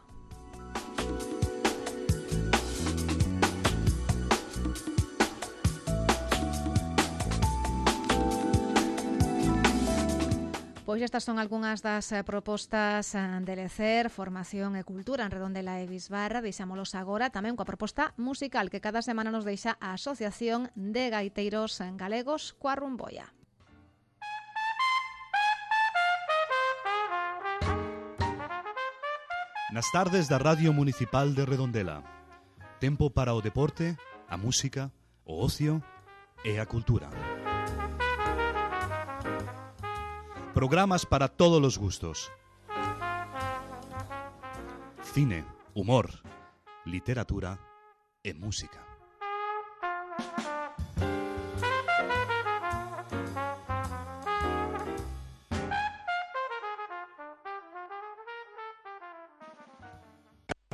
Pois estas son algunhas das propostas de lecer, formación e cultura en Redondela e Bisbarra. Deixámolos agora tamén coa proposta musical que cada semana nos deixa a Asociación de Gaiteiros Galegos coa Rumboia. Nas tardes da Radio Municipal de Redondela. Tempo para o deporte, a música, o ocio e a cultura. Programas para todos os gustos. Cine, humor, literatura e música.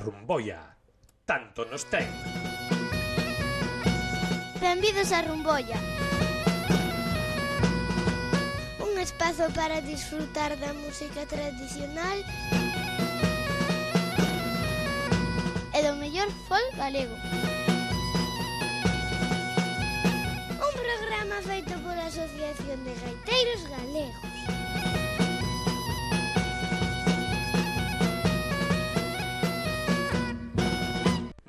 Rumboia, tanto nos ten. Benvidos a Rumboia. Un espazo para disfrutar da música tradicional e do mellor folk galego. Un programa feito pola Asociación de Gaiteiros Galegos.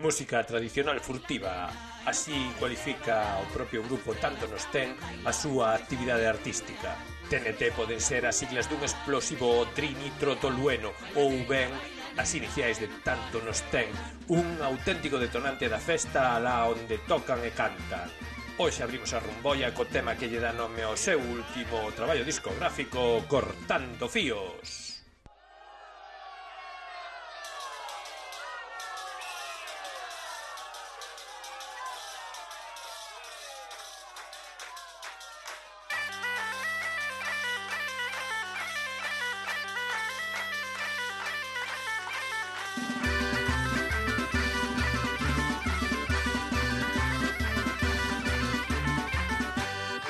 Música tradicional furtiva, así cualifica o propio grupo Tanto Nos Ten a súa actividade artística. TNT poden ser as siglas dun explosivo trinitrotolueno ou ben as iniciais de Tanto Nos Ten, un auténtico detonante da festa alá onde tocan e cantan. Hoxe abrimos a rumboia co tema que lle dá nome ao seu último traballo discográfico, Cortando Fíos.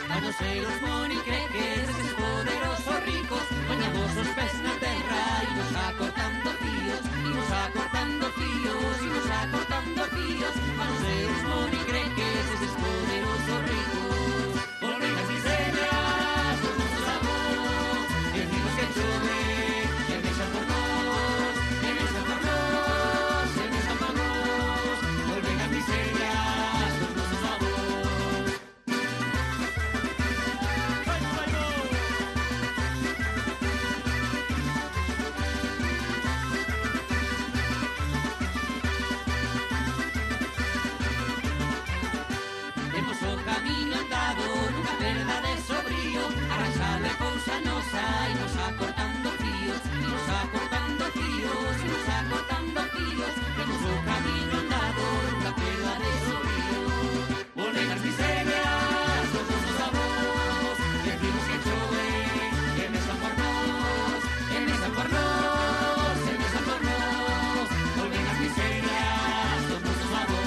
Manoseros monicreques, eses poderosos ricos, poñamos os pés na terra, imos acortando fíos, imos acortando fíos, imos acortando fíos. Manoseros monicreques, eses poderosos ricos, volven as miserias dos nosos avós, e vimos que chove, e mexan por nós, e mexan por nós, e mexan por nós, volven as miserias dos nosos avós. Temos o camiño andado, nunca perda de sobrío, arranxado é cousa nosa, imos acortando fíos, imos acortando fíos, imos acortando fíos. Temos o camiño andado, nunca perda de sobrío, volven as miserias dos nosos avós, e vimos que chove, e mexan por nós, e mexan por nós, e mexan por nós, volven as miserias dos nosos avós.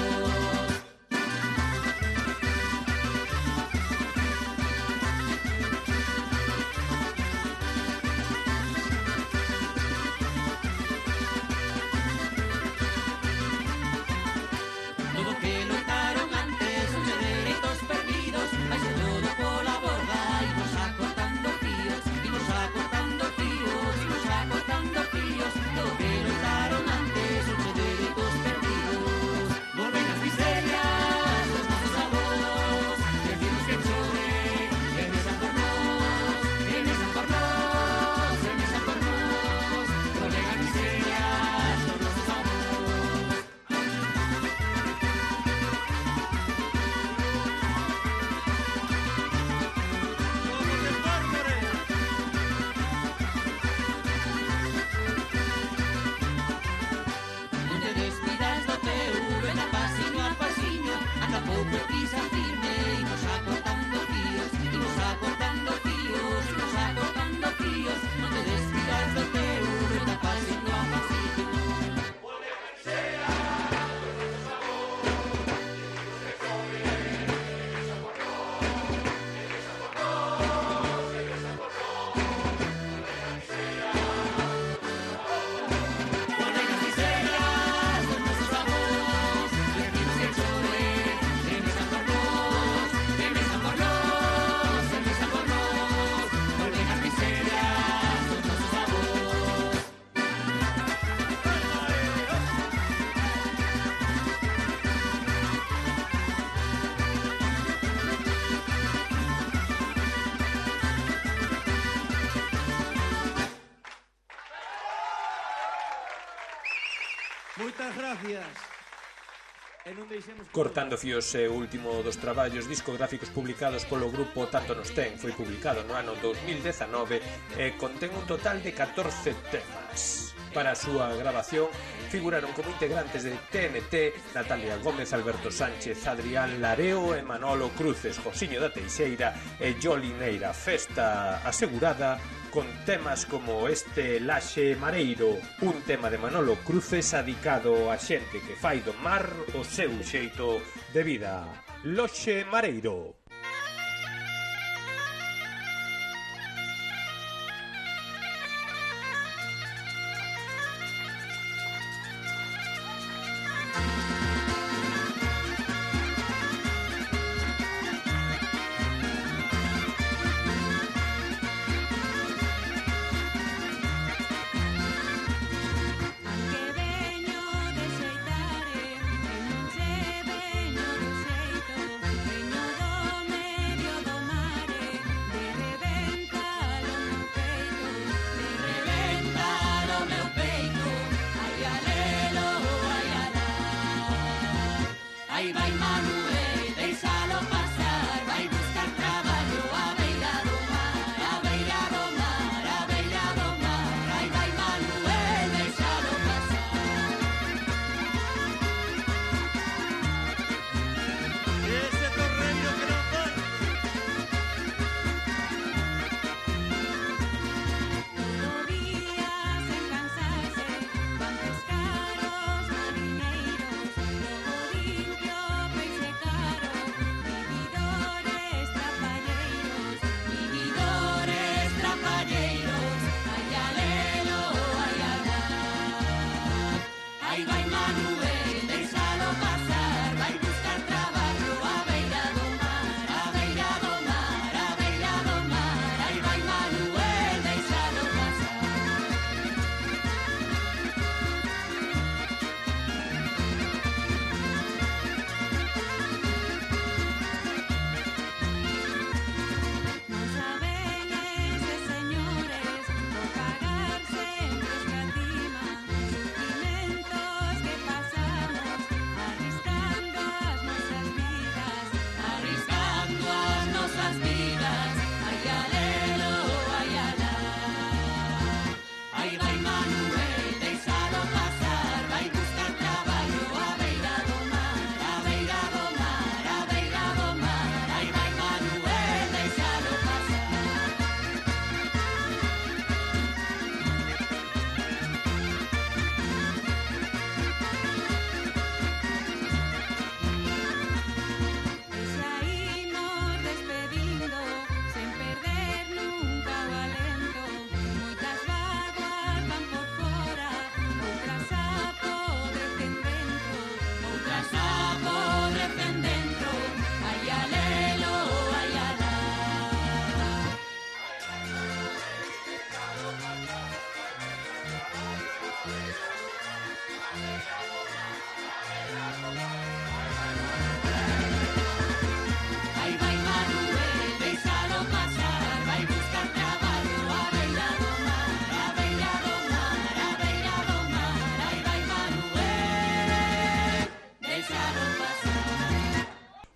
Todo que loitaron antes son de dereitos perdidos, vai ser todo pola borda, imos acortando fíos, imos acortando fíos, imos acortando fíos. Todo que loitaron antes son de dereitos perdidos, volven as miserias dos nosos avós, decimos que chove, que mexan por nós, que mexan por nós, que mexan por nós, volven as miserias dos nosos avós. Non te despidas do teu, ven a pasiño, anda pouco e pisa firme, imos acortando fíos, imos acortando fíos, imos acortando fíos. Non te despidas do teu, ven a pasiño. Moitas gracias. E non deixemos... Cortando Fíos é o último dos traballos discográficos publicados polo grupo Tanto Nos Ten. Foi publicado no ano 2019 e contén un total de 14 temas. Para a súa grabación figuraron como integrantes de TNT Natalia Gómez, Alberto Sánchez, Adrián Lareo e Manolo Cruces, Josiño da Teixeira e Joli Neira. Festa asegurada con temas como este Laxe Mareiro, un tema de Manolo Cruces adicado a xente que fai do mar o seu xeito de vida. Laxe Mareiro. Aunque veño de xeitare,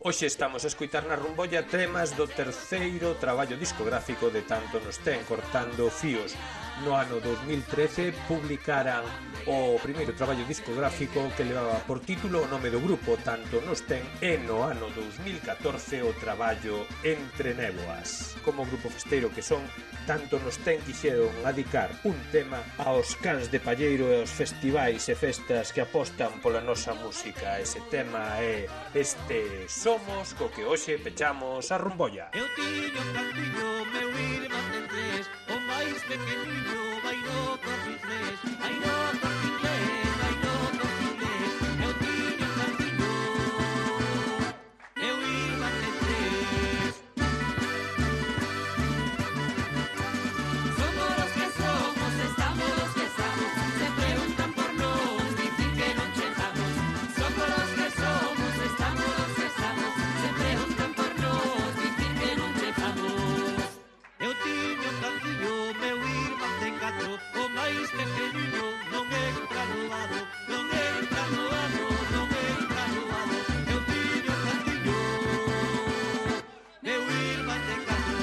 Hoxe estamos a escoitar na Rumbolla temas do terceiro traballo discográfico de Tanto nos ten, Cortando Fíos. No ano 2013 publicaran o primeiro traballo discográfico que levaba por título o nome do grupo, Tanto nos ten, e no ano 2014 o traballo Entre Néboas. Como grupo festeiro que son, Tanto nos ten quixeron adicar un tema aos cans de palleiro e aos festivais e festas que apostan pola nosa música. Ese tema é este Somos, co que hoxe pechamos a Rumbolla. Eu tiño un cantiño, meu irmán ten tres, o máis pequeniño vai no corte inglés, vai no corte inglés, vai no corte inglés. Eu tiño un cantiño, meu irmán ten tres. Somos los que somos, estamos los que estamos, se preguntan por nós, dicen que non chegamos. Somos los que somos, estamos los que estamos, se preguntan por nós, dicen que non chegamos. Eu tiño un cantiño, meu irmán ten catro, o máis pequeniño non entra no lado, non entra no lado, non entra no lado. Eu tiño un cantiño, meu irmán ten catro.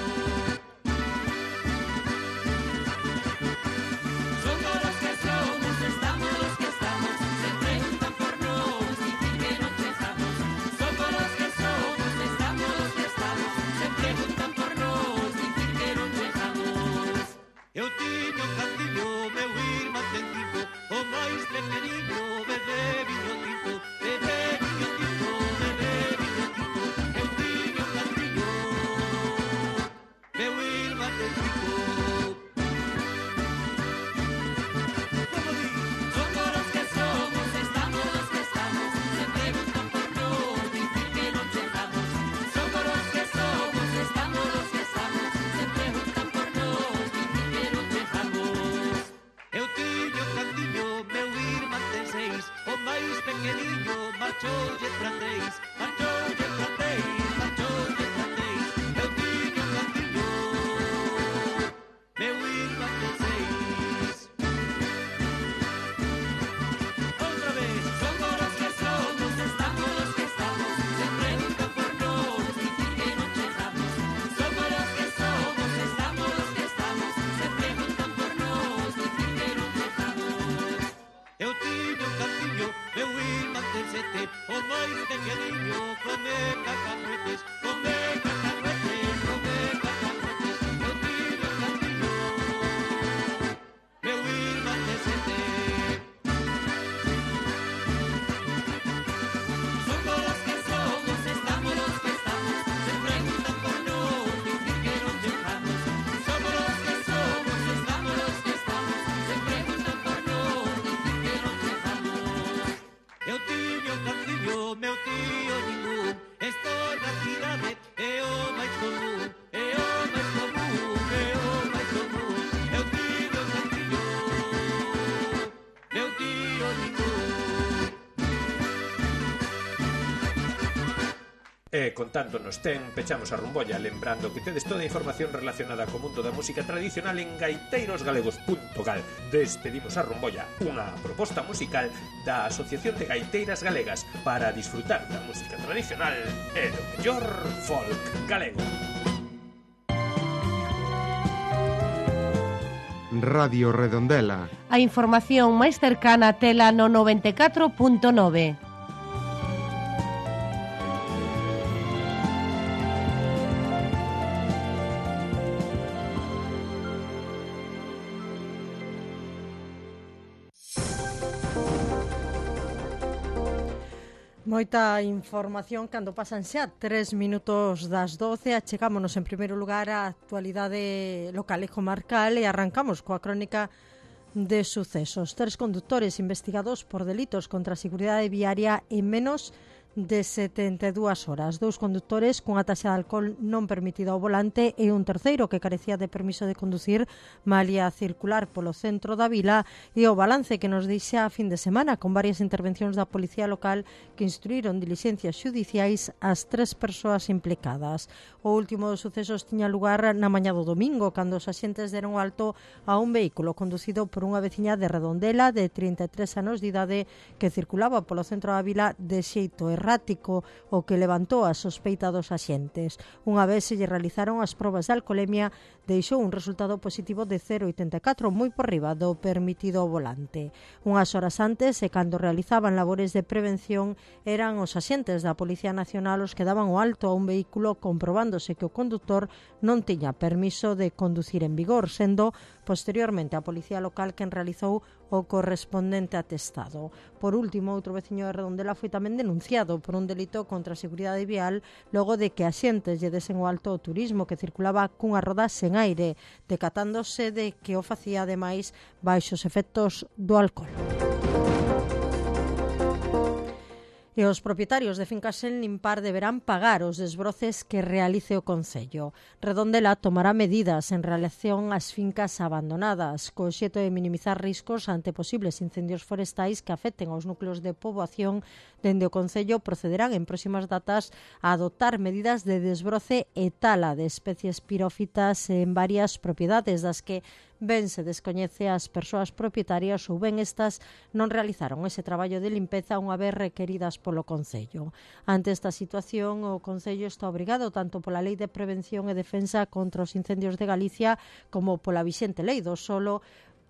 Somos los que somos, estamos los que estamos, se preguntan por nós, dicen que non chegamos. Somos los que somos, estamos los que estamos, se preguntan por nós, dicen que non chegamos. Eu tiño un cantiño, meu irmán ten cinco, o máis pequeniño bebe viño tinto, bebe viño tinto, bebe viño tinto. Eu tiño un cantiño, meu irmán ten cinco. Somos los que somos, estamos los que estamos, se preguntan por nós, dicen que non chegamos. Somos los que somos, estamos los que estamos, se preguntan por nós, dicen que non chegamos. Eu tiño un cantiño, meu irmán ten seis, o máis pequeniño marchoulle francés, marchoulle francés, marchoulle francés. Eu tiño un cantiño, meu irmán ten seis. Outra vez. Somos los que somos, estamos los que estamos, se preguntan por nós, dicen que non chegamos. Somos los que somos, estamos los que estamos, se preguntan por nós, dicen que non chegamos. Eu tiño un cantiño, meu irmán ten sete, o máis pequeniño come cacahuetes, come cacahuetes, come cacahuetes. Eu tiño un cantiño, meu irmán ten sete. Somos los que somos, estamos los que estamos, se preguntan por nós, dicen que non chegamos. Somos los que somos, estamos los que estamos, se preguntan por nós, dicen que non chegamos. Eu tiño un cantiño, meu tío ningún, estou na cidade, é o máis común, é o máis común, é o máis común. Eu tiño un cantiño, meu tío ningún. E con Tanto nos ten, pechamos a Rumbolla, lembrando que tedes toda a información relacionada co mundo da música tradicional en gaiteirosgalegos.gal. Despedimos a Rumbolla, unha proposta musical da Asociación de Gaiteiras Galegas para disfrutar da música tradicional e do mellor folk galego. Radio Redondela. A información máis cercana a tela no 94.9. Moita información cando pasan xa 3 minutos das 12. Achegámonos en primeiro lugar a actualidade local e comarcal e arrancamos coa crónica de sucesos. 3 conductores investigados por delitos contra a seguridade viaria en menos de 72 horas. 2 condutores cunha taxa de alcohol non permitida ao volante e un terceiro que carecía de permiso de conducir malia circular polo centro da vila, e o balance que nos deixa a fin de semana con varias intervencións da Policía Local que instruíron dilixencias xudiciais ás 3 persoas implicadas. O último dos sucesos tiña lugar na mañá do domingo, cando os axentes deron alto a un vehículo conducido por unha veciña de Redondela de 33 anos de idade que circulaba polo centro da vila de xeito errático errático, o que levantou a sospeita dos axentes. Unha vez se lle realizaron as probas de alcolemia, deixou un resultado positivo de 0,84, moi por riba do permitido ao volante. Unhas horas antes, e cando realizaban labores de prevención, eran os axentes da Policía Nacional os que daban o alto a un vehículo comprobándose que o condutor non tiña permiso de conducir en vigor, sendo posteriormente a Policía Local quen realizou o correspondente atestado. Por último, outro veciño de Redondela foi tamén denunciado por un delito contra a seguridade vial logo de que axentes lle desen o alto ao turismo que circulaba cunha roda sen aire, decatándose de que o facía ademais baixo os efectos do alcohol. E os propietarios de fincas sen limpar deberán pagar os desbroces que realice o Concello. Redondela tomará medidas en relación ás fincas abandonadas, co obxecto de minimizar riscos ante posibles incendios forestais que afecten aos núcleos de poboación. Dende o Concello procederán en próximas datas a adoptar medidas de desbroce e tala de especies pirófitas en varias propiedades das que ben se descoñece as persoas propietarias ou ben estas non realizaron ese traballo de limpeza unha vez requeridas polo Concello. Ante esta situación, o Concello está obrigado tanto pola Lei de Prevención e Defensa contra os Incendios de Galicia como pola vixente Lei do Solo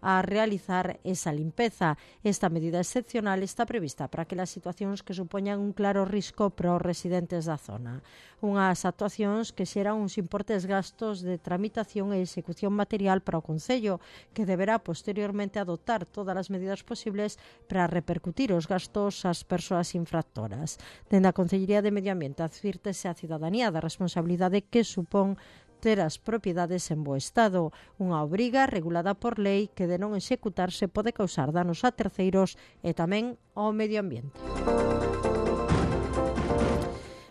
a realizar esa limpeza. Esta medida excepcional está prevista para aquelas situacións que supoñan un claro risco para os residentes da zona. Unhas actuacións que xeran uns importes gastos de tramitación e execución material para o Concello, que deberá posteriormente adoptar todas as medidas posibles para repercutir os gastos ás persoas infractoras. Dende a Concellería de Medio Ambiente advírtese a cidadanía da responsabilidade que supón ter as propiedades en bo estado, unha obriga regulada por lei que de non executarse pode causar danos a terceiros e tamén ao medio ambiente.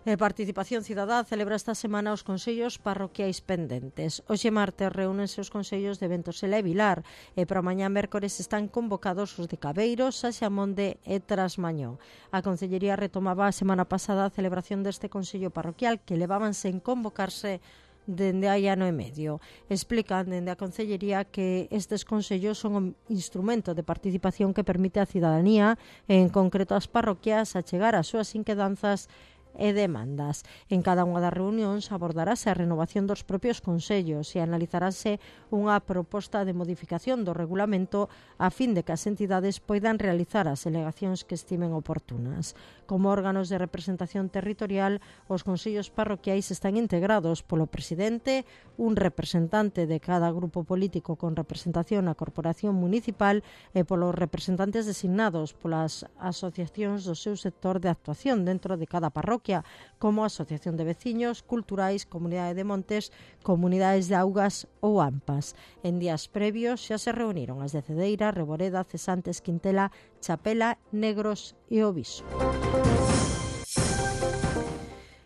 A Participación Cidadá celebra esta semana os consellos parroquiais pendentes. Hoxe martes reúnense os consellos de Ventosela e Vilar e para mañá mércores están convocados os de Cabeiros, Saxamonde e Trasmañó. A Consellería retomaba a semana pasada a celebración deste consello parroquial que levaban sen convocarse dende hai ano e medio. Explican dende a Consellería que estes consellos son un instrumento de participación que permite á cidadanía, en concreto ás parroquias, a chegar ás súas inquedanzas e demandas. En cada unha das reunións abordarase a renovación dos propios consellos e analizarase unha proposta de modificación do regulamento a fin de que as entidades poidan realizar as alegacións que estimen oportunas. Como órganos de representación territorial, os consellos parroquiais están integrados polo presidente, un representante de cada grupo político con representación na corporación municipal e polos representantes designados polas asociacións do seu sector de actuación dentro de cada parroquia, como Asociación de Veciños, Culturais, Comunidade de Montes, Comunidades de Augas ou AMPAs. En días previos xa se reuniron as de Cedeira, Reboreda, Cesantes, Quintela, Chapela, Negros e Oviso.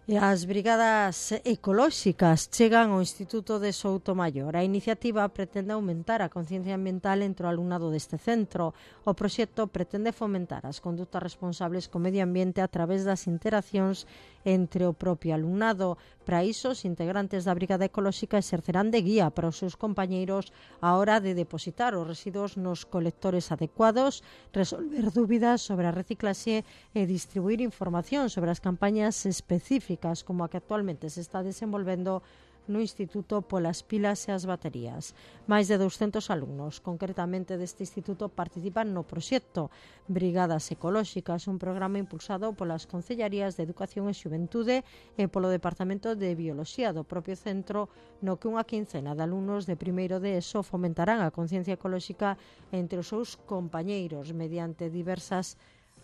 E as brigadas ecolóxicas chegan ao Instituto de Soutomaior. A iniciativa pretende aumentar a conciencia ambiental entre o alumnado deste centro. O proxecto pretende fomentar as condutas responsables co medio ambiente a través das interaccións entre o propio alumnado. Para iso, os integrantes da brigada ecolóxica exercerán de guía para os seus compañeiros á hora de depositar os residuos nos colectores adecuados, resolver dúbidas sobre a reciclaxe e distribuir información sobre as campañas específicas como a que actualmente se está desenvolvendo no Instituto polas pilas e as baterías. Máis de 200 alumnos, concretamente deste instituto, participan no proxecto Brigadas Ecolóxicas, un programa impulsado polas Concellarías de Educación e Xuventude e polo Departamento de Bioloxía do propio centro, no que unha quincena de alumnos de primeiro de ESO fomentarán a conciencia ecolóxica entre os seus compañeiros mediante diversas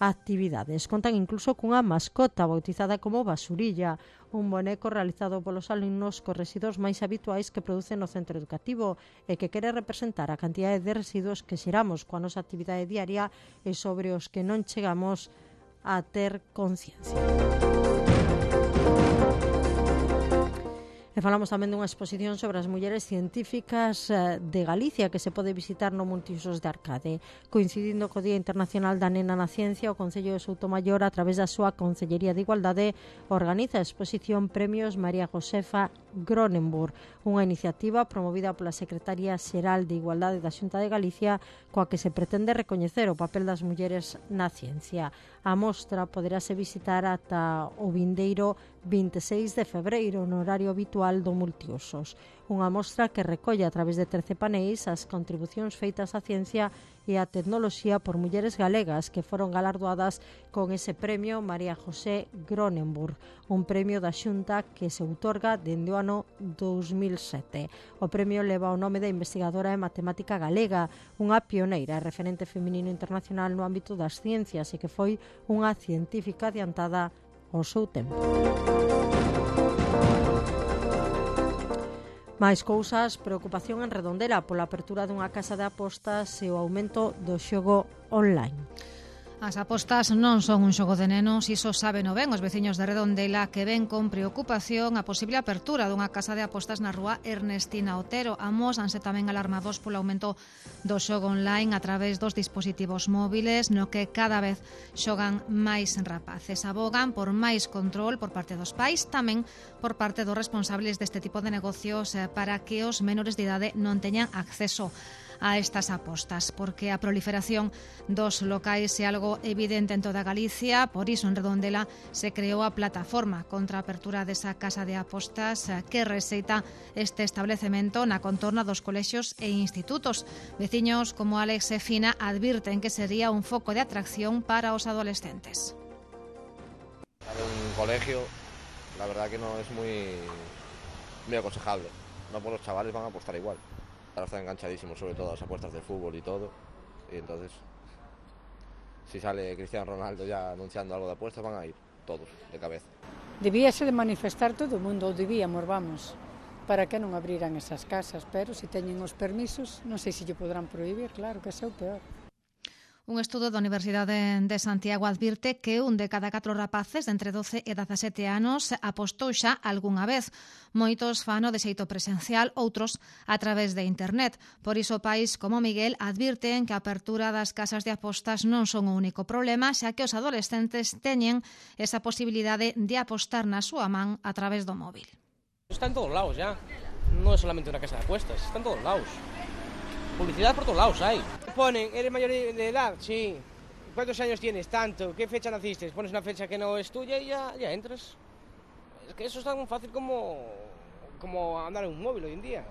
actividades. Contan incluso cunha mascota bautizada como Basurilla, un boneco realizado polos alumnos cos residuos máis habituais que producen no centro educativo e que quere representar a cantidade de residuos que xeramos coa nosa actividade diaria e sobre os que non chegamos a ter conciencia. E falamos tamén dunha exposición sobre as mulleres científicas de Galicia que se pode visitar no Multiusos de Arcade. Coincidindo co Día Internacional da Nena na Ciencia, o Concello de Soutomaior, a través da súa Concellería de Igualdade, organiza a exposición Premios María Josefa Gronenburg, unha iniciativa promovida pola Secretaría Xeral de Igualdade da Xunta de Galicia, coa que se pretende recoñecer o papel das mulleres na ciencia. A mostra poderase visitar ata o vindeiro 26 de febreiro no horario habitual do Multiusos. Unha mostra que recolle a través de 13 paneis as contribucións feitas á ciencia e á tecnoloxía por mulleres galegas que foron galardoadas con ese premio María José Gronenburg, un premio da Xunta que se outorga dende o ano 2007. O premio leva o nome da investigadora e matemática galega, unha pioneira e referente feminino internacional no ámbito das ciencias e que foi unha científica adiantada ao seu tempo. Mais cousas, preocupación en Redondela pola apertura dunha casa de apostas e o aumento do xogo online. As apostas non son un xogo de nenos, iso saben o ben os veciños de Redondela, que ven con preocupación a posible apertura dunha casa de apostas na rúa Ernestina Otero. Amósanse tamén alarmados polo aumento do xogo online a través dos dispositivos móviles, no que cada vez xogan máis rapaces. Abogan por máis control por parte dos pais, tamén por parte dos responsables deste tipo de negocios, para que os menores de idade non teñan acceso a estas apostas, porque a proliferación dos locais é algo evidente en toda Galicia. Por iso en Redondela se creou a plataforma contra a apertura desa casa de apostas que receita este establecemento na contorna dos colexios e institutos. Veciños como Alex e Fina advirten que sería un foco de atracción para os adolescentes. Un colegio, la verdad que no es muy aconsejable. No, por los chavales van a apostar igual. Ahora están enganchadísimos, sobre todo a las apuestas de fútbol y todo. Y entonces, si sale Cristiano Ronaldo ya anunciando algo de apuestas, van a ir todos de cabeza. Debíase de manifestar todo o mundo, ou debíamos, vamos, para que non abriran esas casas, pero se teñen os permisos, non sei se lle podrán prohibir, claro, que é o peor. Un estudo da Universidade de Santiago advirte que un de cada 4 rapaces de entre 12 e 17 anos apostou xa algunha vez. Moitos fano de xeito presencial, outros a través de internet. Por iso pais como Miguel advirten que a apertura das casas de apostas non son o único problema, xa que os adolescentes teñen esa posibilidade de apostar na súa man a través do móvil. Está en todos lados ya, non é solamente unha casa de apuestas, está en todos lados. Publicidad por todos lados hay. Ponen, ¿eres mayor de edad? Sí. ¿Cuántos años tienes? Tanto. ¿Qué fecha naciste? Pones una fecha que no es tuya y ya entras. Es que eso es tan fácil como andar en un móvil hoy en día.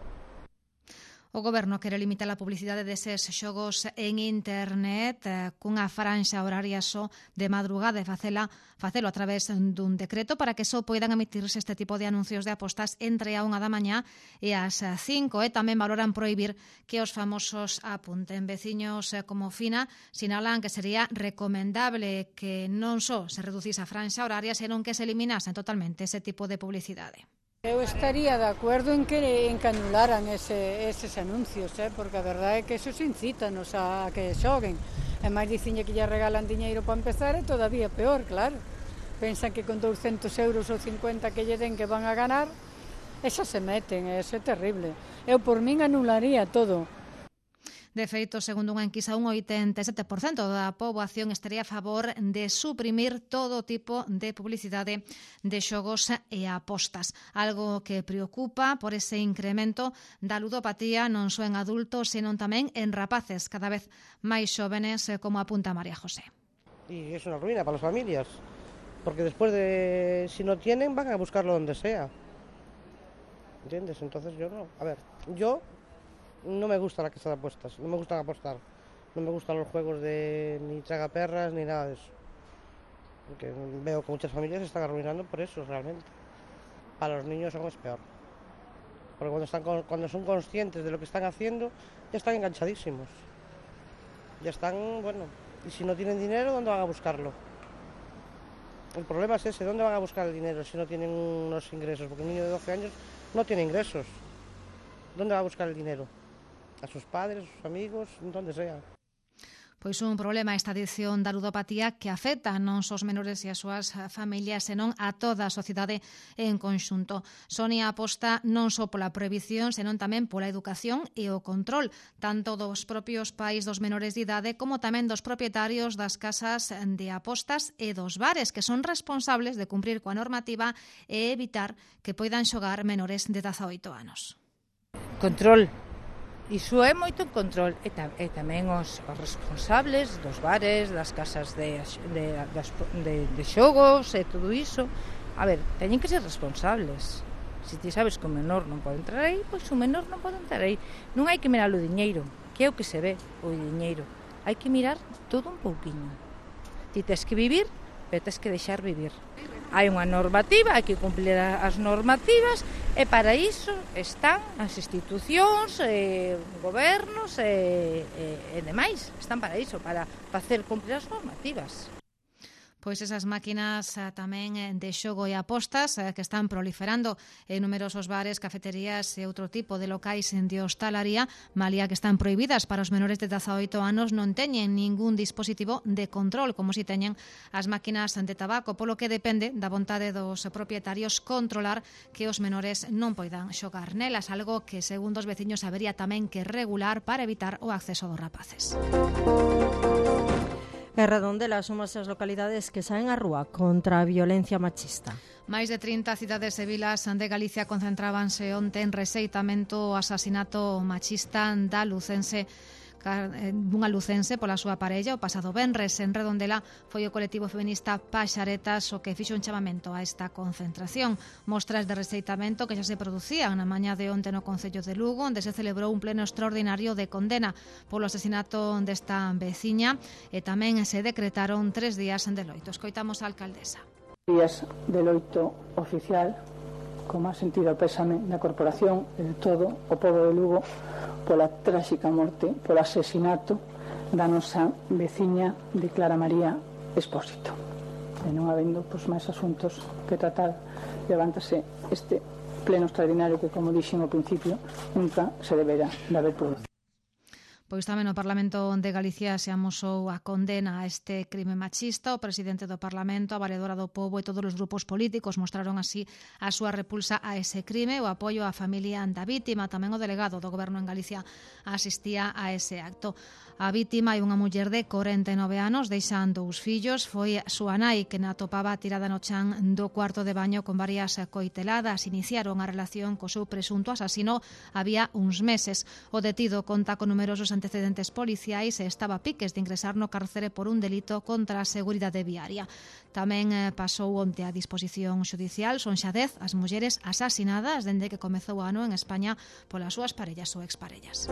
O Goberno quere limitar a publicidade deses xogos en internet cunha franxa horaria só de madrugada e facelo a través dun decreto para que só poidan emitirse este tipo de anuncios de apostas entre a 1 da mañá e as 5. E tamén valoran prohibir que os famosos apunten. Veciños como Fina sinalan que sería recomendable que non só se reducise a franxa horaria, senón que se eliminasen totalmente ese tipo de publicidade. Eu estaría de acordo en que anularan eses anuncios, porque a verdade é que esos incítanos a que xoguen. E máis diciñe que lle regalan diñeiro para empezar é todavía peor, claro. Pensan que con 200 euros ou 50 que lle den que van a ganar, e xa se meten, eso é terrible. Eu por min anularía todo. De feito, segundo unha enquisa, un 87% da poboación estaría a favor de suprimir todo tipo de publicidade de xogos e apostas. Algo que preocupa por ese incremento da ludopatía non só en adultos, senón tamén en rapaces cada vez máis xóvenes, como apunta María José. Y es una ruina para las familias, porque después de, si no tienen, van a buscarlo donde sea. ¿Entiendes? Entonces yo no. A ver, yo no me gusta la casa de apuestas, no me gustan apostar, no me gustan los juegos de ni tragaperras ni nada de eso, porque veo que muchas familias se están arruinando por eso realmente. Para los niños aún es peor, porque cuando son conscientes de lo que están haciendo, ya están enganchadísimos, ya están, bueno, y si no tienen dinero, ¿dónde van a buscarlo? El problema es ese, ¿dónde van a buscar el dinero si no tienen unos ingresos? Porque un niño de 12 años no tiene ingresos, ¿dónde va a buscar el dinero? A sus padres, a sus amigos, donde sea. Pois un problema esta adición da ludopatía que afecta non só os menores e as súas familias, senón a toda a sociedade en conxunto. Sonia aposta non só pola prohibición, senón tamén pola educación e o control, tanto dos propios pais dos menores de idade como tamén dos propietarios das casas de apostas e dos bares, que son responsables de cumprir coa normativa e evitar que poidan xogar menores de 18 anos. Control. Iso é moito control e tamén os responsables dos bares, das casas de xogos e todo iso. A ver, teñen que ser responsables. Se ti sabes que o menor non pode entrar aí, pois o menor non pode entrar aí. Non hai que mirar o diñeiro, que é o que se ve, o diñeiro. Hai que mirar todo un pouquiño. Ti tes que vivir, pero tes que deixar vivir. Hai unha normativa, hai que cumplir as normativas e para iso están as institucións, gobernos e demais. Están para iso, para facer cumplir as normativas. Pois esas máquinas tamén de xogo e apostas que están proliferando en numerosos bares, cafeterías e outro tipo de locais de hostalaría, malia que están prohibidas para os menores de 18 anos, non teñen ningún dispositivo de control, como si teñen as máquinas de tabaco, polo que depende da vontade dos propietarios controlar que os menores non poidan xogar nelas, algo que, segundo os veciños, habería tamén que regular para evitar o acceso dos rapaces. En Redondela son as localidades que saen á rúa contra a violencia machista. Máis de 30 cidades e vilas de Galicia concentrábanse onte en rexeitamento o asasinato machista da unha lucense pola súa parella. O pasado venres en Redondela foi o colectivo feminista Paxaretas o que fixo un chamamento a esta concentración. Mostras de rexeitamento que xa se producían na mañá de onte no Concello de Lugo, onde se celebrou un pleno extraordinario de condena polo asasinato desta veciña e tamén se decretaron 3 días de loito. Escoitamos a alcaldesa. Días de loito oficial, con máis sentido pésame da corporación e de todo o pobo de Lugo pola tráxica morte, polo asesinato da nosa veciña de Clara María Expósito. E non habendo máis asuntos que tratar, levántase este pleno extraordinario que, como dixen ao principio, nunca se deberá de haber producido. Pois tamén no Parlamento de Galicia se amosou a condena a este crime machista. O presidente do Parlamento, a valedora do pobo e todos os grupos políticos mostraron así a súa repulsa a ese crime, o apoio á familia da vítima. Tamén o delegado do Goberno en Galicia asistía a ese acto. A vítima é unha muller de 49 anos, deixando os fillos. Foi a súa nai que na atopaba tirada no chan do cuarto de baño con varias coiteladas. Iniciaron a relación co seu presunto asasino había uns meses. O detido conta con numerosos antecedentes policiais e estaba a piques de ingresar no cárcere por un delito contra a seguridade viaria. Tamén pasou onte a disposición xudicial. Son xa 10 as mulleres asasinadas dende que comezou o ano en España polas súas parellas ou exparellas.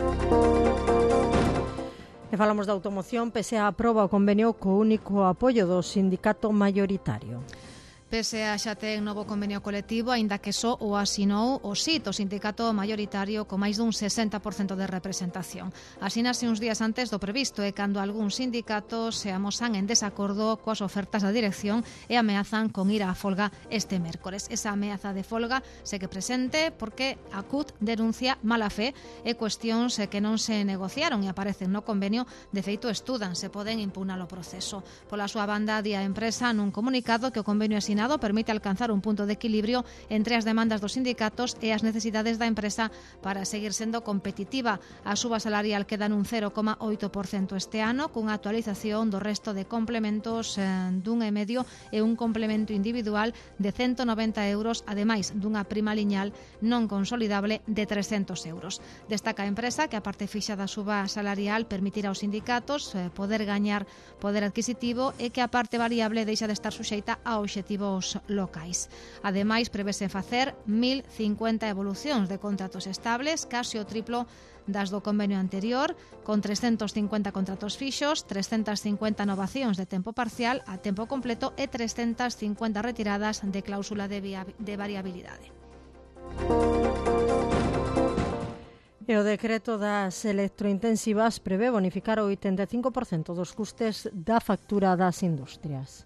E falamos da automoción. PSA aproba o convenio co único apoio do sindicato maioritario. PSA xa ten novo convenio colectivo, aínda que só o asinou o SIT, o sindicato maioritario, con máis dun 60% de representación. Asínase uns días antes do previsto e cando algúns sindicatos se amosan en desacordo coas ofertas da dirección e ameazan con ir á folga este mércores. Esa ameaza de folga segue presente porque a CUT denuncia mala fe e cuestións que non se negociaron e aparecen no convenio. De feito, estudan se poden impugnar o proceso. Pola súa banda, di a empresa nun comunicado que o convenio asinado permite alcanzar un punto de equilibrio entre as demandas dos sindicatos e as necesidades da empresa para seguir sendo competitiva. A suba salarial queda nun 0,8% este ano, cunha actualización do resto de complementos dun e medio e un complemento individual de 190 euros, ademais dunha prima lineal non consolidable de 300 euros. Destaca a empresa que a parte fixa da suba salarial permitirá aos sindicatos poder gañar poder adquisitivo e que a parte variable deixa de estar suxeita a obxectivos locais. Ademais, prevese facer 1050 evolucións de contratos estables, case o triplo das do convenio anterior, con 350 contratos fixos, 350 novacións de tempo parcial a tempo completo e 350 retiradas de cláusula de variabilidade. E o decreto das electrointensivas prevé bonificar o 85% dos custes da factura das industrias.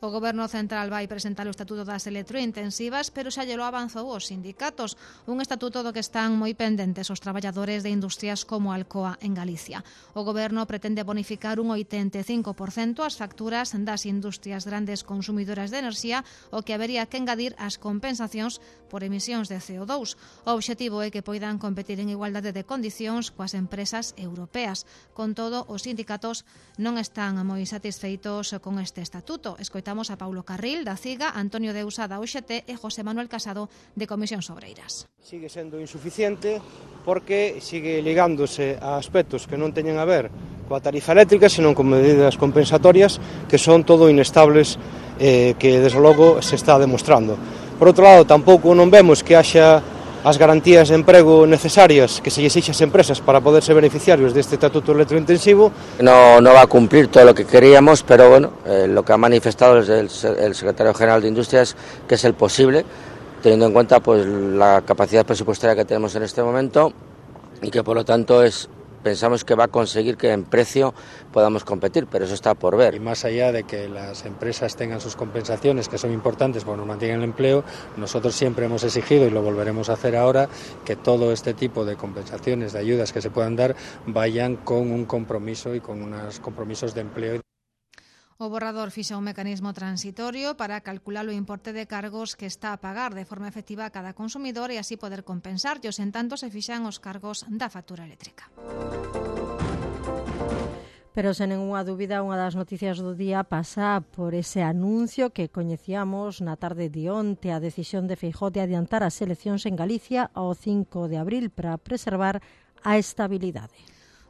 O Goberno Central vai presentar o Estatuto das Electrointensivas, pero xa llelo avanzou os sindicatos. Un estatuto do que están moi pendentes os traballadores de industrias como Alcoa en Galicia. O Goberno pretende bonificar un 85% as facturas das industrias grandes consumidoras de enerxía, o que habería que engadir as compensacións por emisións de CO2. O obxectivo é que poidan competir en igualdade de condicións coas empresas europeas. Con todo, os sindicatos non están moi satisfeitos con este estatuto. Escoitamos a Paulo Carril, da CIGA, Antonio Deusa, da UGT e José Manuel Casado, de Comisións Obreiras. Sigue sendo insuficiente porque sigue ligándose a aspectos que non teñen a ver coa tarifa eléctrica, senón con medidas compensatorias que son todo inestables, que desde logo se está demostrando. Por outro lado, tampouco non vemos que haxa as garantías de emprego necesarias que se lle exixe ás empresas para poder ser beneficiarios deste estatuto electrointensivo. No va a cumplir todo lo que queríamos, pero bueno, lo que ha manifestado el secretario general de Industrias, que es el posible, teniendo en cuenta pues la capacidad presupuestaria que tenemos en este momento y que por lo tanto pensamos que va a conseguir que en precio podamos competir, pero eso está por ver. Y más allá de que las empresas tengan sus compensaciones, que son importantes porque nos mantienen el empleo, nosotros siempre hemos exigido, y lo volveremos a hacer ahora, que todo este tipo de compensaciones, de ayudas que se puedan dar, vayan con un compromiso y con unos compromisos de empleo. O borrador fixa un mecanismo transitorio para calcular o importe de cargos que está a pagar de forma efectiva a cada consumidor e así poder compensarlos en tanto se fixan os cargos da factura eléctrica. Pero sen nenhuma dúbida, unha das noticias do día pasa por ese anuncio que coñecíamos na tarde de onte, a decisión de Feijóo de adiantar as eleccións en Galicia ao 5 de abril para preservar a estabilidade.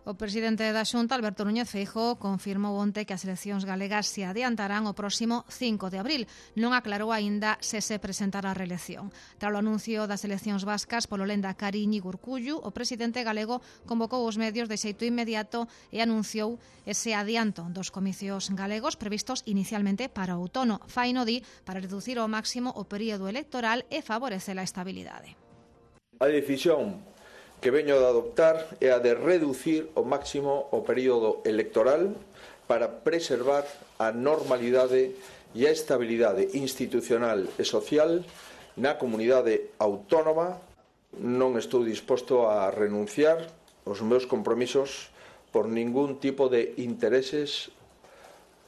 O presidente da Xunta, Alberto Núñez Feijóo, confirmou onte que as eleccións galegas se adiantarán o próximo 5 de abril. Non aclarou aínda se presentará a reelección. Tras o anuncio das eleccións vascas polo Lehendakari Íñigo Urkullu, o presidente galego convocou os medios de xeito inmediato e anunciou ese adianto dos comicios galegos previstos inicialmente para o outono. Faino di para reducir ao máximo o período electoral e favorecer a estabilidade. A decisión que veño de adoptar é a de reducir ao máximo o período electoral para preservar a normalidade e a estabilidade institucional e social na comunidade autónoma. Non estou disposto a renunciar aos meus compromisos por ningún tipo de intereses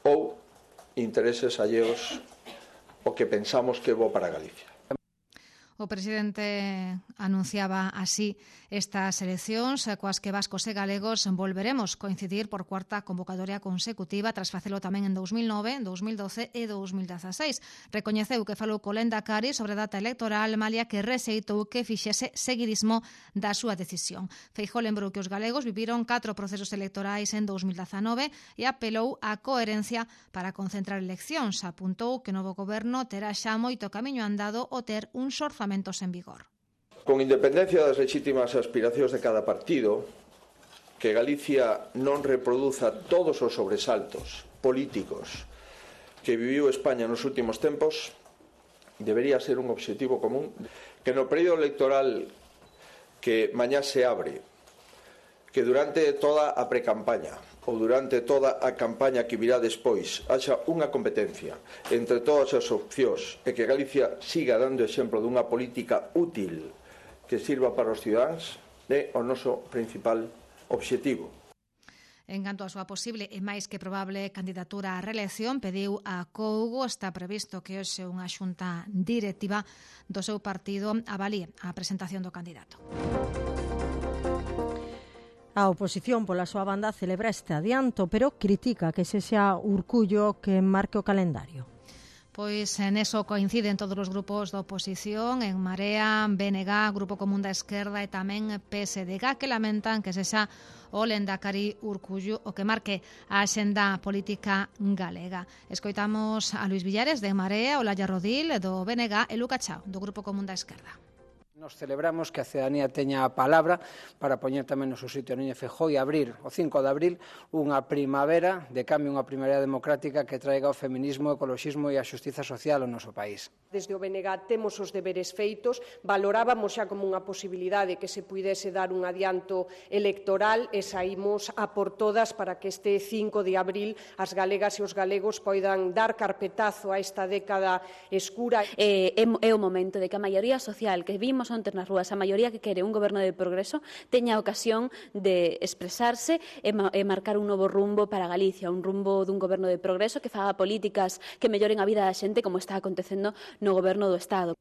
ou intereses alleos o que pensamos que é bo para Galicia. O presidente anunciaba así estas eleccións coas que vascos e galegos volveremos coincidir por cuarta convocatoria consecutiva tras facelo tamén en 2009, 2012 e 2016. Recoñeceu que falou co Lehendakari sobre a data electoral, malia que rexeitou que fixese seguidismo da súa decisión. Feijóo lembrou que os galegos viviron 4 procesos electorais en 2019 e apelou á coherencia para concentrar eleccións. Apuntou que o novo goberno terá xa moito camiño andado o ter uns orzamentos en vigor. Con independencia das legítimas aspiracións de cada partido, que Galicia non reproduza todos os sobresaltos políticos que viviu España nos últimos tempos, debería ser un obxectivo común que no período electoral que mañá se abre, que durante toda a precampaña ou durante toda a campaña que virá despois haxa unha competencia entre todas as opcións e que Galicia siga dando exemplo dunha política útil que sirva para os cidadáns é o noso principal obxectivo. En canto a súa posible e máis que probable candidatura á reelección, pediu a Cougo, está previsto que hoxe unha xunta directiva do seu partido avalíe a presentación do candidato. A oposición pola súa banda celebra este adianto, pero critica que sexa Urkullu que marque o calendario. Pois en eso coinciden todos os grupos da oposición, en Marea, BNG, Grupo Común da Esquerda e tamén PSDG, que lamentan que sexa o Lehendakari Urkullu o que marque a axenda política galega. Escoitamos a Luis Villares de Marea, Olaya Rodil do BNG e Luca Chao do Grupo Común da Esquerda. Nos celebramos que a cidadanía teña a palabra para poñer tamén no seu sitio a Núñez Feijóo e abrir o 5 de abril unha primavera de cambio, unha primavera democrática que traiga o feminismo, o ecoloxismo e a xustiza social ao noso país. Desde o BNG temos os deberes feitos, valorábamos xa como unha posibilidade que se puidese dar un adianto electoral e saímos a por todas para que este 5 de abril as galegas e os galegos poidan dar carpetazo a esta década escura. É o momento de que a maioría social que vimos onte nas rúas, a maioría que quere un goberno de progreso, teña a ocasión de expresarse e marcar un novo rumbo para Galicia, un rumbo dun goberno de progreso que faga políticas que melloren a vida da xente como está acontecendo no goberno do Estado.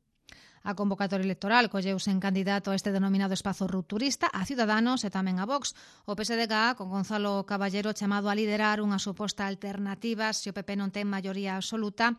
A convocatoria electoral colleuse en candidato a este denominado espazo rupturista a Ciudadanos e tamén a Vox. O PSDG, con Gonzalo Caballero chamado a liderar unha suposta alternativa se o PP non ten maioría absoluta,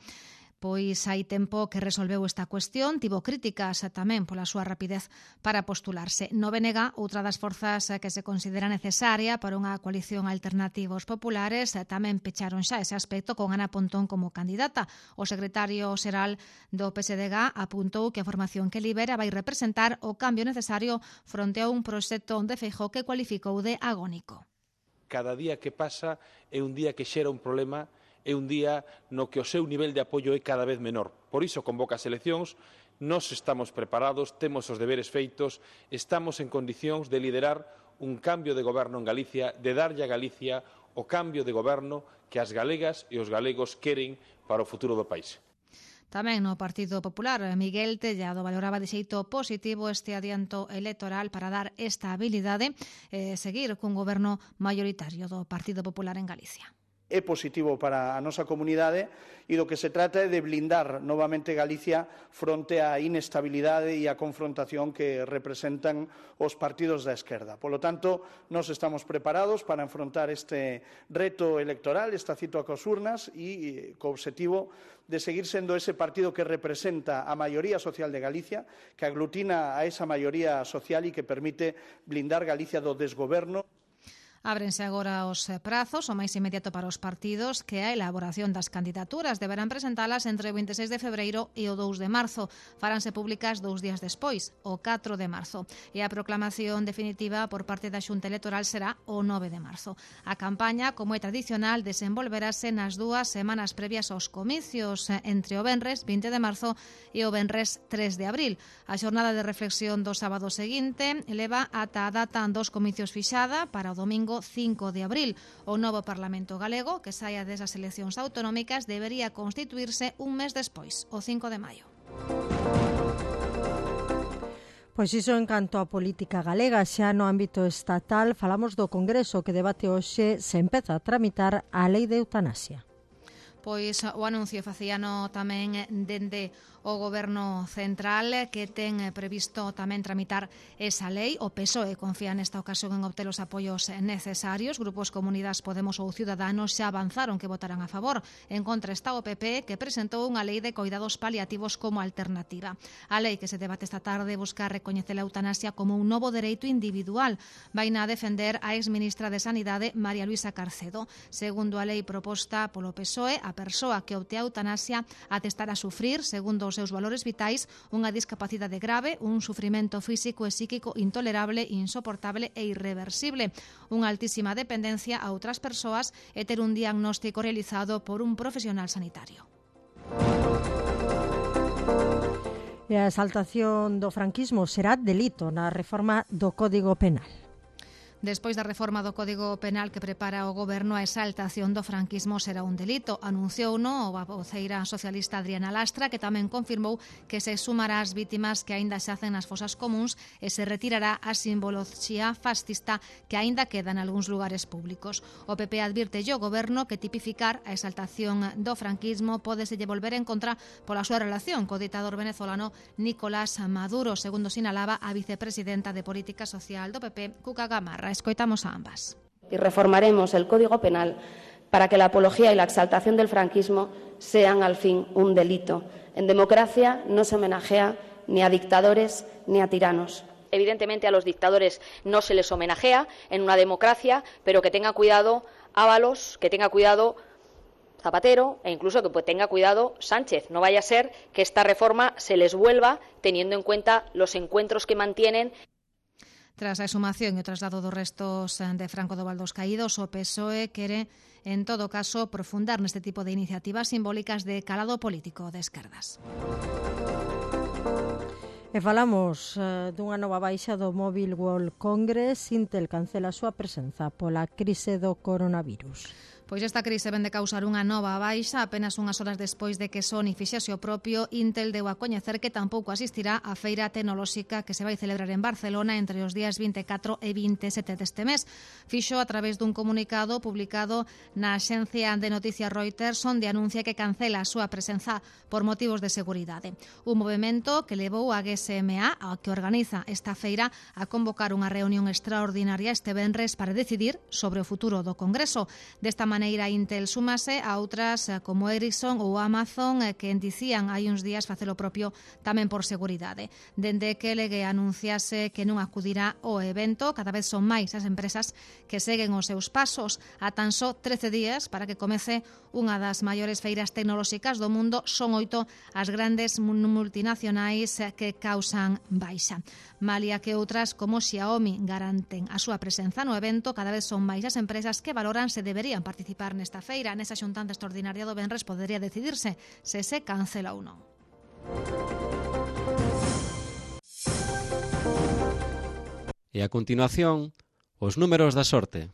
pois hai tempo que resolveu esta cuestión, tivo críticas tamén pola súa rapidez para postularse. No BNG, outra das forzas que se considera necesaria para unha coalición alternativa aos populares, tamén pecharon xa ese aspecto con Ana Pontón como candidata. O secretario xeral do PSDG apuntou que a formación que libera vai representar o cambio necesario fronte a un proxecto onde Feijóo que cualificou de agónico. Cada día que pasa é un día que xera un problema, é un día no que o seu nivel de apoio é cada vez menor. Por iso convoca as eleccións, nós estamos preparados, temos os deberes feitos, estamos en condicións de liderar un cambio de goberno en Galicia, de darlle a Galicia o cambio de goberno que as galegas e os galegos queren para o futuro do país. Tamén no Partido Popular, Miguel Tellado valoraba de xeito positivo este adianto electoral para dar estabilidade e seguir cun goberno maioritario do Partido Popular en Galicia. É positivo para a nosa comunidade e do que se trata é de blindar novamente Galicia fronte á inestabilidade e á confrontación que representan os partidos da esquerda. Polo tanto, nós estamos preparados para enfrontar este reto electoral, esta cita coas urnas e co obxectivo de seguir sendo ese partido que representa a maioría social de Galicia, que aglutina a esa maioría social e que permite blindar Galicia do desgoberno. Ábrense agora os prazos, o máis inmediato para os partidos, que a elaboración das candidaturas deberán presentalas entre o 26 de febreiro e o 2 de marzo. Faránse públicas 2 días despois, o 4 de marzo. E a proclamación definitiva por parte da Xunta Electoral será o 9 de marzo. A campaña, como é tradicional, desenvolverase nas 2 semanas previas aos comicios, entre o venres 20 de marzo e o venres 3 de abril. A xornada de reflexión do sábado seguinte leva ata a data dos comicios fixada para o domingo 5 de abril. O novo Parlamento galego, que saia desas eleccións autonómicas, debería constituirse un mes despois, o 5 de maio. Pois iso en canto á política galega. Xa no ámbito estatal falamos do Congreso que debate hoxe se empeza a tramitar a lei de eutanasia. Pois o anuncio facíano tamén dende o Goberno Central, que ten previsto tamén tramitar esa lei. O PSOE confía nesta ocasión en obter os apoios necesarios. Grupos como Unidas Podemos ou Ciudadanos xa avanzaron que votarán a favor. En contra está o PP, que presentou unha lei de coidados paliativos como alternativa. A lei que se debate esta tarde busca recoñecer a eutanasia como un novo dereito individual. Vaina a defender a exministra de Sanidade, María Luisa Carcedo. Segundo a lei proposta polo PSOE, a persoa que opte a eutanasia atestará a sufrir, segundo os seus valores vitais, unha discapacidade grave, un sufrimento físico e psíquico intolerable, insoportable e irreversible, unha altísima dependencia a outras persoas e ter un diagnóstico realizado por un profesional sanitario. E a exaltación do franquismo será delito na reforma do Código Penal. Despois da reforma do Código Penal que prepara o Goberno, a exaltación do franquismo será un delito. Anunciouno a voceira socialista Adriana Lastra, que tamén confirmou que se sumará ás vítimas que aínda xacen nas fosas comuns e se retirará a simboloxía fascista que aínda queda en algúns lugares públicos. O PP advirte ao Goberno que tipificar a exaltación do franquismo pódese volver en contra pola súa relación co ditador venezolano Nicolás Maduro, segundo sinalaba a vicepresidenta de Política Social do PP, Cuca Gamarra. Escoitamos a ambas. Y reformaremos el Código Penal para que la apología y la exaltación del franquismo sean al fin un delito. En democracia no se homenajea ni a dictadores ni a tiranos. Evidentemente a los dictadores no se les homenajea en una democracia, pero que tenga cuidado Ábalos, que tenga cuidado Zapatero e incluso que tenga cuidado Sánchez. No vaya a ser que esta reforma se les vuelva teniendo en cuenta los encuentros que mantienen. Tras a exhumación e o traslado dos restos de Franco do Val dos Caídos, o PSOE quere, en todo caso, profundar neste tipo de iniciativas simbólicas de calado político de esquerdas. E falamos dunha nova baixa do Mobile World Congress. Intel cancela a súa presenza pola crise do coronavirus. Pois esta crise vén de causar unha nova baixa. Apenas unhas horas despois de que Sony fixese o propio, Intel deu a coñecer que tampouco asistirá á feira tecnolóxica que se vai celebrar en Barcelona entre os días 24 e 27 deste mes. Fixo a través dun comunicado publicado na axencia de noticias Reuters, onde anuncia que cancela a súa presenza por motivos de seguridade. Un movimento que levou a GSMA, a que organiza esta feira, a convocar unha reunión extraordinaria este venres para decidir sobre o futuro do Congreso. Desta maneira, Intel súmase a outras como Ericsson ou Amazon que dicían hai uns días facer o propio tamén por seguridade. Dende que Legue anunciase que non acudirá ao evento, cada vez son máis as empresas que seguen os seus pasos. A tan só 13 días para que comece unha das maiores feiras tecnolóxicas do mundo, son 8 as grandes multinacionais que causan baixa. Malia que outras como Xiaomi garanten a súa presenza no evento, cada vez son máis as empresas que valoran se deberían participar nesta feira. Nesa xuntanza extraordinaria do venres podería decidirse se se cancela ou non. E a continuación, os números da sorte.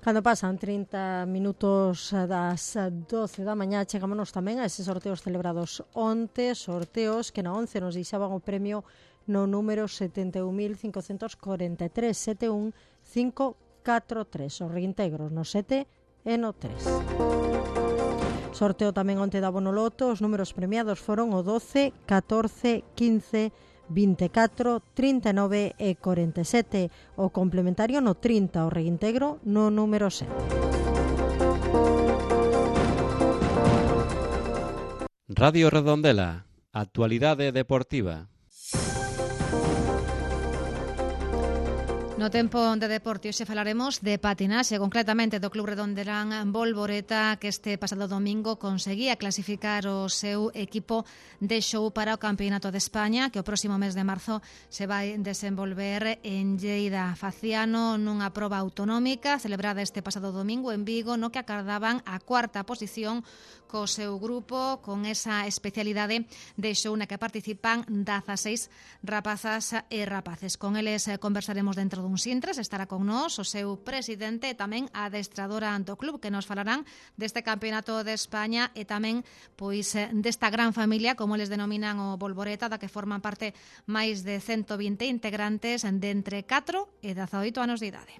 Cando pasan 30 minutos das 12 da mañá, chegámonos tamén a eses sorteos celebrados onte, sorteos que na 11 nos deixaban o premio no número 71.543, 71543, os reintegros no 7 e no 3. Sorteo tamén onte da Bonoloto, os números premiados foron o 12, 14, 15, 24, 39 e 47, o complementario no 30, o reintegro no número 7. Radio Redondela, actualidade deportiva. No tempo de deporte hoxe falaremos de patinaxe, concretamente do Club Redondelán Bolboreta, que este pasado domingo conseguía clasificar o seu equipo de show para o Campeonato de España, que o próximo mes de marzo se vai desenvolver en Lleida. Faciano nunha proba autonómica celebrada este pasado domingo en Vigo, no que acardaban a cuarta posición co seu grupo, con esa especialidade de show na que participan 16 rapazas e rapaces. Con eles conversaremos dentro duns intres. Estará con nós o seu presidente e tamén a adestradora do club, que nos falarán deste Campeonato de España e tamén pois desta gran familia, como eles denominan o Bolboreta, da que forman parte máis de 120 integrantes de entre 4 e 18 anos de idade.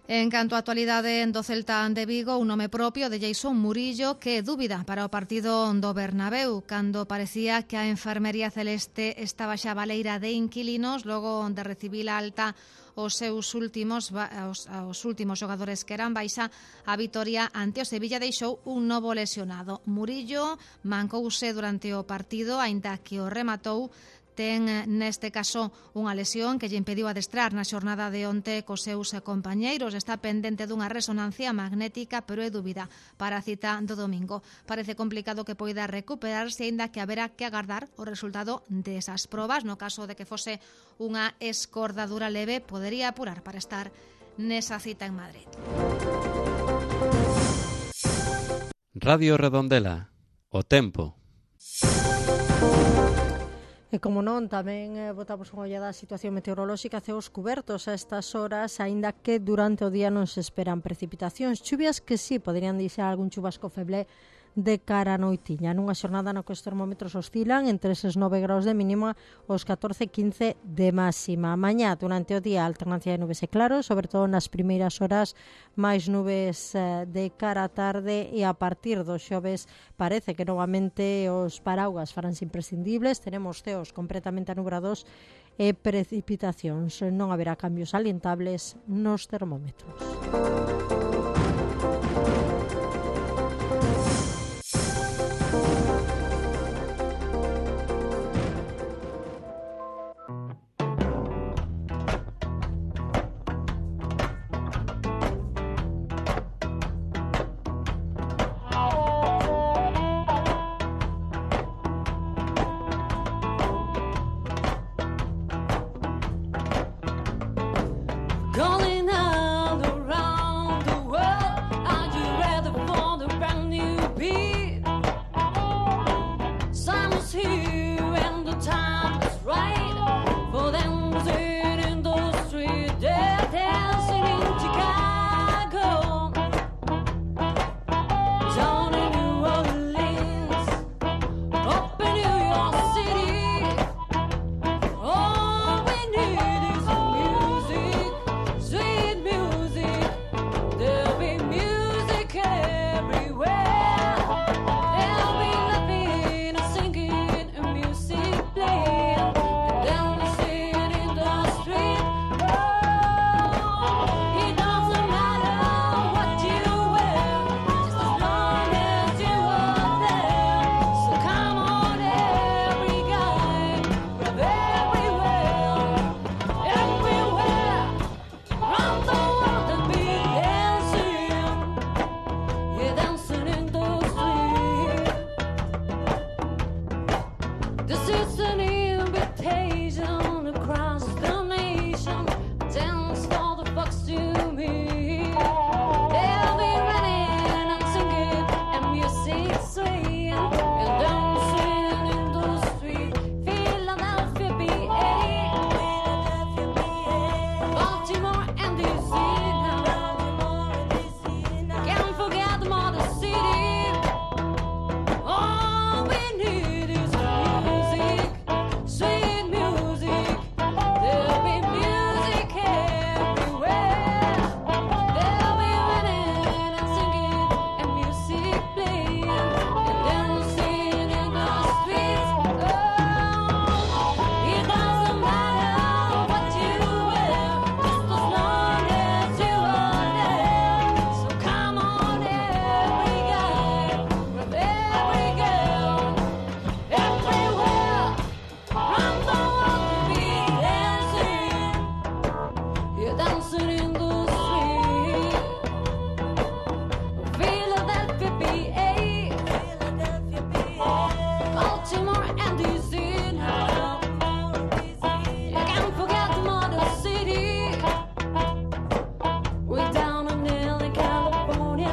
En canto á actualidade do Celta de Vigo, un nome propio de Jason Murillo, que dúbida para o partido do Bernabéu, cando parecía que a enfermería celeste estaba xa baleira de inquilinos, logo de recibir a alta os últimos xogadores que eran baixa. A vitoria ante o Sevilla deixou un novo lesionado. Murillo mancouse durante o partido, aínda que o rematou. Ten neste caso unha lesión que lle impediu adestrar na xornada de onte cos seus compañeiros. Está pendente dunha resonancia magnética, pero é dúbida para a cita do domingo. Parece complicado que poida recuperarse, aínda que haberá que agardar o resultado desas probas. No caso de que fose unha escordadura leve, podería apurar para estar nesa cita en Madrid. Radio Redondela, o tempo. E como non, tamén botamos unha ollada á situación meteorolóxica, ceos cubertos a estas horas, aínda que durante o día non se esperan precipitacións. Chuvias que sí poderían deixar algún chubasco feble de cara a noitiña. Nunha xornada na que os termómetros oscilan entre eses 9 graus de mínima os 14-15 de máxima. Mañá, durante o día, alternancia de nubes e claros, sobre todo nas primeiras horas, máis nubes de cara a tarde, e a partir dos xoves parece que novamente os paraugas faranse imprescindibles. Tenemos ceos completamente anubrados e precipitacións. Non haberá cambios alientables nos termómetros. This is an invitation across the nation. Dance all the folks to me. They'll be running and singing and music swaying and dancing in the street. Philadelphia, PA, Baltimore and DC now. Can't forget the Motor City. All we need is music, sweet music. There'll be music everywhere. They'll be running and singing and music playing and dancing in the streets. Oh, it doesn't matter what you wear, just as long as you are there. So come on, every guy with every girl, everywhere, round the world to be dancing. You're dancing in the street. Philadelphia, PA, Baltimore and DC now. You can't forget the Motor City. We're down in LA, California.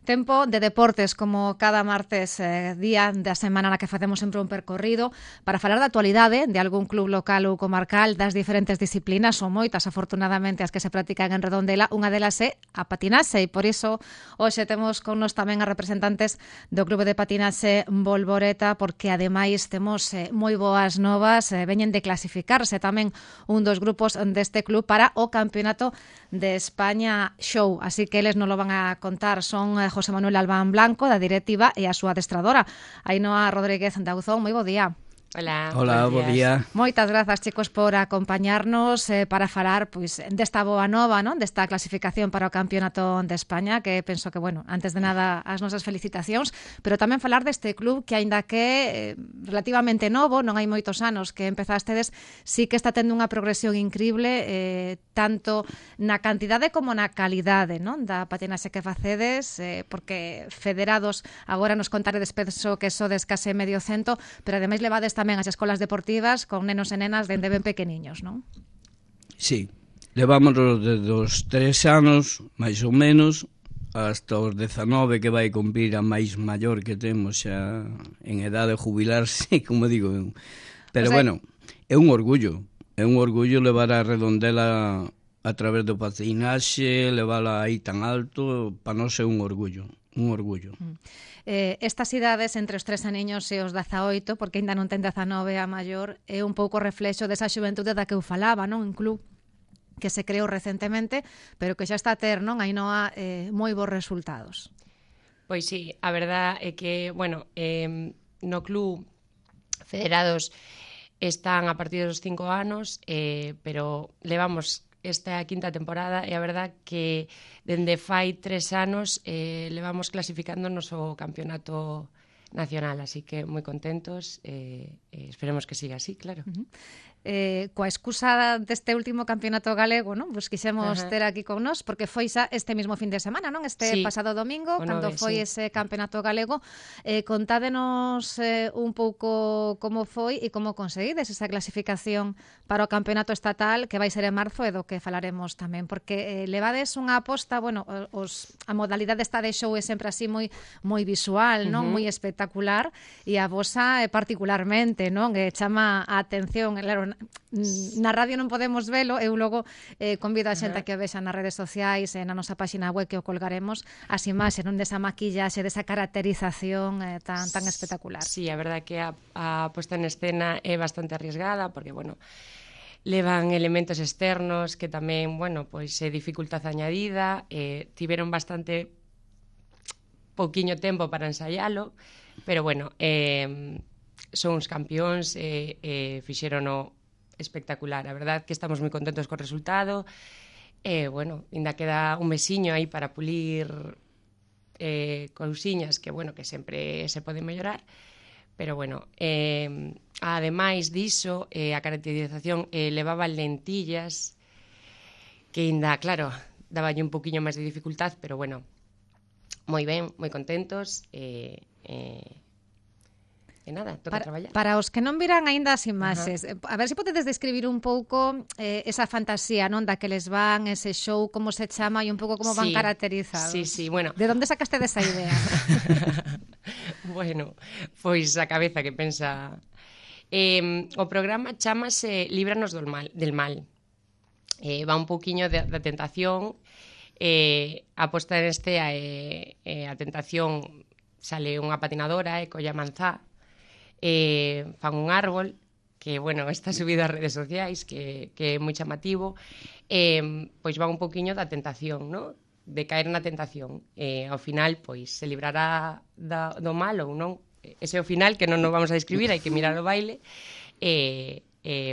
Tempo de deportes, como cada martes día da semana na que facemos sempre un percorrido para falar da actualidade de algún club local ou comarcal das diferentes disciplinas, son moitas afortunadamente as que se practican en Redondela. Unha delas é a patinaxe e por iso hoxe temos con nos tamén a representantes do Clube de Patinaxe Bolboreta, porque ademais temos moi boas novas, veñen de clasificarse tamén un dos grupos deste club para o Campeonato de España Show, así que eles non lo van a contar, son José Manuel Albán Blanco, da directiva, e a súa adestradora, Ainhoa Rodríguez Dauzón. Moi bo día. Hola, bo día. Moitas grazas, chicos, por acompañarnos para falar pois desta boa nova, non? Desta clasificación para o Campeonato de España, que penso que, bueno, antes de nada as nosas felicitacións, pero tamén falar deste club que, aínda que relativamente novo, non hai moitos anos que empezastedes, sí que está tendo unha progresión increíble, tanto na cantidade como na calidade, non? Da patinaxe que facedes, porque federados agora nos contaredes, penso que sodes case medio cento, pero ademais levades tamén as escolas deportivas con nenos e nenas dende ben pequeniños, non? Sí, levámonos desde os 3 anos, máis ou menos, hasta os 19 que vai cumprir a máis maior que temos xa en edade de jubilarse, como digo eu. Pero, bueno, é un orgullo levar a Redondela a través do patinaxe, levala aí tan alto, para nós é un orgullo. Estas idades entre os 3 aniños e os 18, porque ainda non ten 19 a maior, é un pouco reflexo desa xuventude da que eu falaba, non? Un club que se creou recentemente, pero que xa está a ter, non? Ainhoa, moi bons resultados. Pois sí, a verdad é que, bueno, no club federados están a partir dos 5 anos, pero levamos esta quinta temporada e a verdad que dende fai 3 anos levamos clasificándonos ao campeonato nacional, así que moi contentos, esperemos que siga así, claro. coa excusa deste último campeonato galego, non? Pois quixemos ter aquí con nós, porque foi xa este mismo fin de semana, non? Este pasado domingo, cando foi ese campeonato galego. Contádenos un pouco como foi e como conseguides esa clasificación para o campeonato estatal, que vai ser en marzo, e do que falaremos tamén, porque levades unha aposta, bueno, a modalidade esta de show é sempre así moi visual, non? Moi espectacular, e a vosa particularmente, non? Chama a atención, claro, na radio non podemos velo, eu logo convido a xente a que o vexa nas redes sociais e na nosa páxina web que o colgaremos as imaxes, non, desa maquillaxe, desa caracterización tan espectacular. Sí, a verdade que a posta en escena é bastante arriesgada, porque, bueno, levan elementos externos que tamén, bueno, pois é dificultad añadida, tiveron bastante pouquiño tempo para ensaialo, pero, bueno, son uns campións e fixérono espectacular. A verdad que estamos moi contentos co resultado. Bueno, ainda queda un mesiño aí para pulir cousiñas que, bueno, que sempre se poden mellorar. Pero, bueno, ademais diso, a caracterización levaba lentillas que ainda, claro, daballe un poquinho máis de dificultad, pero, bueno, moi ben, moi contentos e nada, toca traballar. Para os que non viran aínda as imaxes, a ver se podedes describir un pouco esa fantasía, non, da que les van, ese show, como se chama e un pouco como van caracterizados. Sí, bueno. De onde sacaste desa idea? Bueno, pois a cabeza que pensa. O programa chamase Líbranos del mal. Va un pouquiño da tentación, a posta en estea a tentación, sale unha patinadora e colla manzá, fan un árbol que, bueno, está subido ás redes sociais, que é moi chamativo, pois va un poquinho da tentación, non? De caer na tentación. Ao final, pois, se librará do mal ou non. Ese é o final, que non nos vamos a describir, hai que mirar o baile.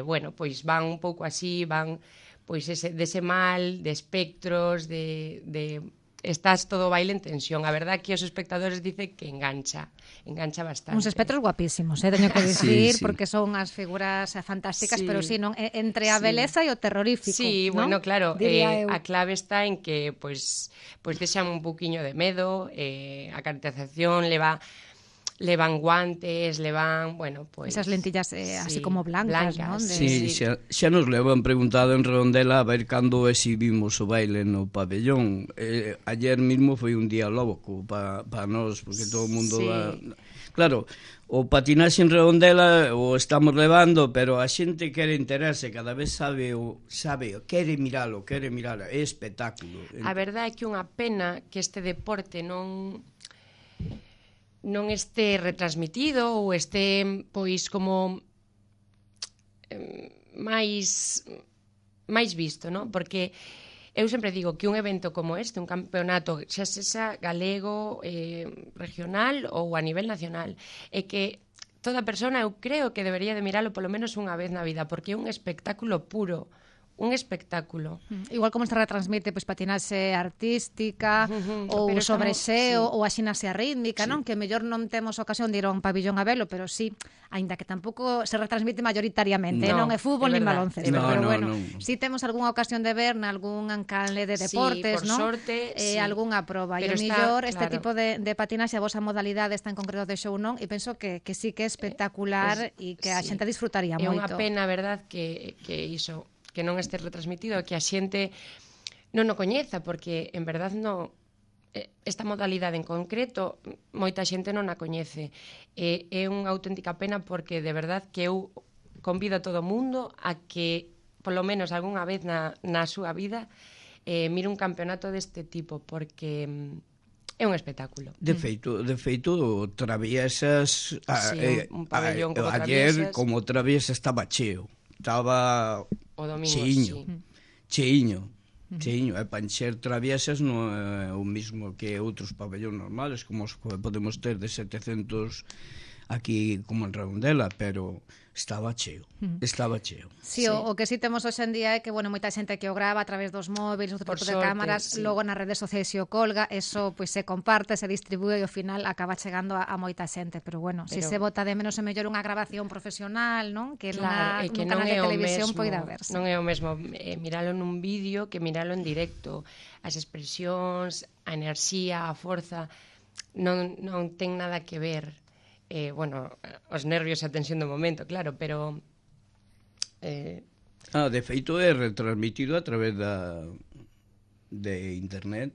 Bueno, pois van un pouco así, van pois dese mal, de espectros, de estás todo o baile en tensión. A verdad que os espectadores dicen que engancha bastante. Uns espectros guapísimos, teño que dicir, porque son as figuras fantásticas, pero sí, non, entre a beleza e o terrorífico. Sí, ¿no? Bueno, claro, a clave está en que pois deixan un poquinho de medo, a caracterización levan guantes, levan, bueno, pois... Esas lentillas así como blancas, non? Sí, xa nos levan preguntado en Redondela a ver cando exhibimos o baile no pabellón. Ayer mismo foi un día loco para nós, porque todo o mundo... Claro, o patinaxe en Redondela o estamos levando, pero a xente quere enterarse, cada vez sabe, quere miralo, é espectáculo. A verdade é que unha pena que este deporte non este retransmitido ou este, pois, como máis visto, non? Porque eu sempre digo que un evento como este, un campeonato, xa sexa galego, regional ou a nivel nacional, é que toda persona, eu creo que debería de miralo polo menos unha vez na vida, porque é un espectáculo puro. Un espectáculo. Igual como se retransmite pois patinaxe artística ou sobreseo ou a xinaxe rítmica, non? Que mellor non temos ocasión de ir a un pabillón a velo, pero sí, aínda que tampouco se retransmite mayoritariamente, non é fútbol nin baloncesto, pero bueno, sí temos algunha ocasión de ver nalgún canle de deportes, non? Sorte, algunha proba, e o mellor este tipo de patinaxe, a vosa modalidade está en concreto de show, non? E penso que sí que é espectacular e que a xente disfrutaría moito. É unha pena, verdad, que iso que non este retransmitido, que a xente non o coñeza, porque en verdad non, esta modalidade en concreto moita xente non a coñece. É unha auténtica pena, porque de verdad que eu convido a todo o mundo a que polo menos algunha vez na súa vida mire un campeonato deste tipo, porque é un espectáculo. De feito, Traviesas, un pabellón como ayer, como Traviesas estaba cheo. Estaba cheiño, e para encher Traviesas non é o mismo que outros pabellóns normales, como os que podemos ter de 700 aquí como en Redondela, pero estaba cheo, estaba cheo. Sí, o que sí temos hoxe en día é que, bueno, moita xente que o grava a través dos móviles, outro tipo de cámaras, logo nas redes sociais se o colga, eso pois se comparte, se distribúe e ao final acaba chegando a moita xente, pero bueno, se se bota de menos é mellor unha grabación profesional, non? Que Claro, nun canal de televisión poida verse. Non é o mesmo miralo nun vídeo que miralo en directo. As expresións, a enerxía, a forza non ten nada que ver. Bueno, os nervios e a tensión do momento, claro, pero de feito é retransmitido a través de internet.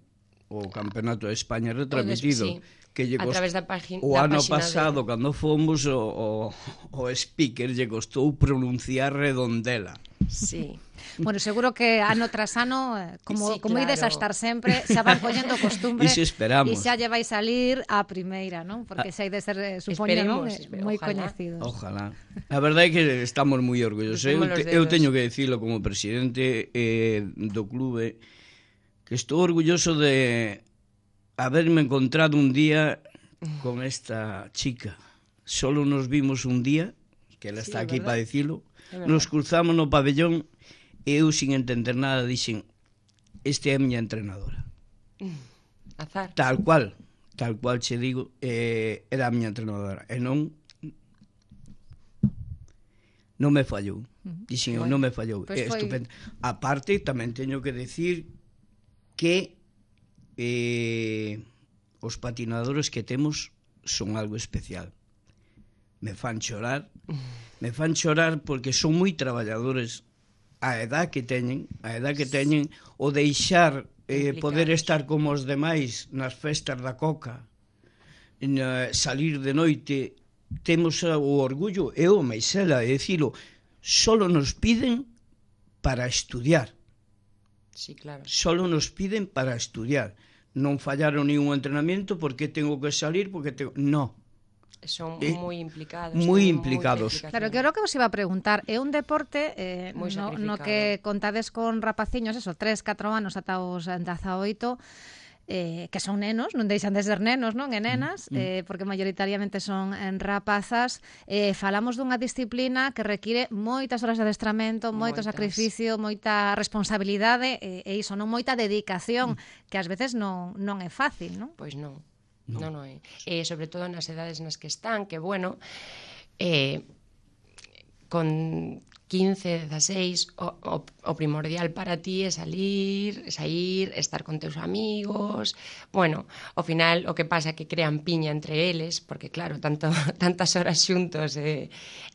O Campeonato de España retransmitido, sí, que a través da página o ano pasado cando fomos o speaker lle costou pronunciar Redondela. Sí. Bueno, seguro que ano tras ano, como ides a estar sempre, xa van collendo costumbre. E se esperamos. E xa lle vai salir a primeira, non? Porque xa hai de ser, supoño, non? Moi coñecidos. Ojalá. A verdade é que estamos moi orgullosos. Eu teño que dicilo como presidente do clube, que estou orgulloso de haberme encontrado un día con esta chica. Solo nos vimos un día, que ela está aquí para dicilo, nos cruzamos no pabellón e eu, sin entender nada, dixen, este é a miña entrenadora. Azar. Tal cual che digo, era a miña entrenadora. E non me fallou. Dixen, non me fallou. É estupendo. A parte, tamén teño que decir que os patinadores que temos son algo especial. Me fan chorar porque son moi traballadores. A edad que teñen, o deixar poder estar como os demais nas festas da Coca, salir de noite, temos o orgullo, eu, Maisela, de dicilo, solo nos piden para estudiar. Sí, claro. Solo nos piden para estudiar. Non fallaron ni un entrenamiento porque tengo que salir, porque tengo... No. Son moi implicados. Moi implicados. Claro, que era o que vos iba a preguntar. É un deporte no que contades con rapaciños, 3-4 anos ata os 18, que son nenos, non deixan de ser nenos, non? E nenas, porque maioritariamente son rapazas. Falamos dunha disciplina que require moitas horas de adestramento, moito sacrificio, moita responsabilidade e iso, non moita dedicación, que ás veces non é fácil, non? Pois non. Non é. Sobre todo nas edades nas que están, que, bueno, con 15, 16, o primordial para ti é sair, estar con teus amigos. Bueno, ao final o que pasa é que crean piña entre eles, porque, claro, tantas horas xuntos,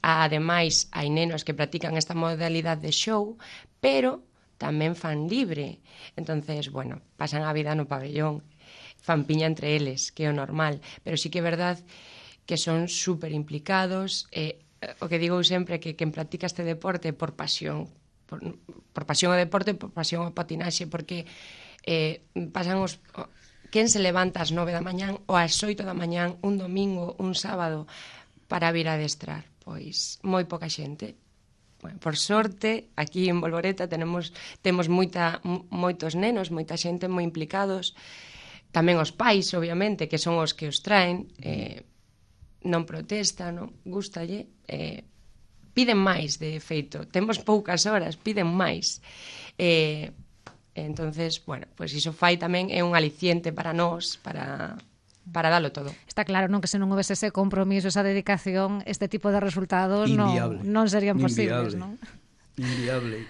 ademais, hai nenos que practican esta modalidade de show, pero tamén fan libre. Entonces, bueno, pasan a vida no pabellón, fan piña entre eles, que é o normal, pero sí que é verdad que son super implicados. O que digo sempre é que quen practica este deporte por pasión, por pasión ao deporte, por pasión ao patinaxe, porque pasan quen se levanta ás 9 da mañán ou ás 8 da mañán un domingo, un sábado para vir a adestrar? Pois moi poca xente. Bueno, por sorte, aquí en Bolboreta temos moitos nenos, moita xente moi implicados. Tamén os pais, obviamente, que son os que os traen, non protestan, non gústalle, piden máis, de feito. Temos poucas horas, piden máis. Entonces, bueno, pois iso fai tamén, é un aliciente para nós, para dalo todo. Está claro, non, que se non houvese ese compromiso, esa dedicación, este tipo de resultados non serían posibles, non? Inviable.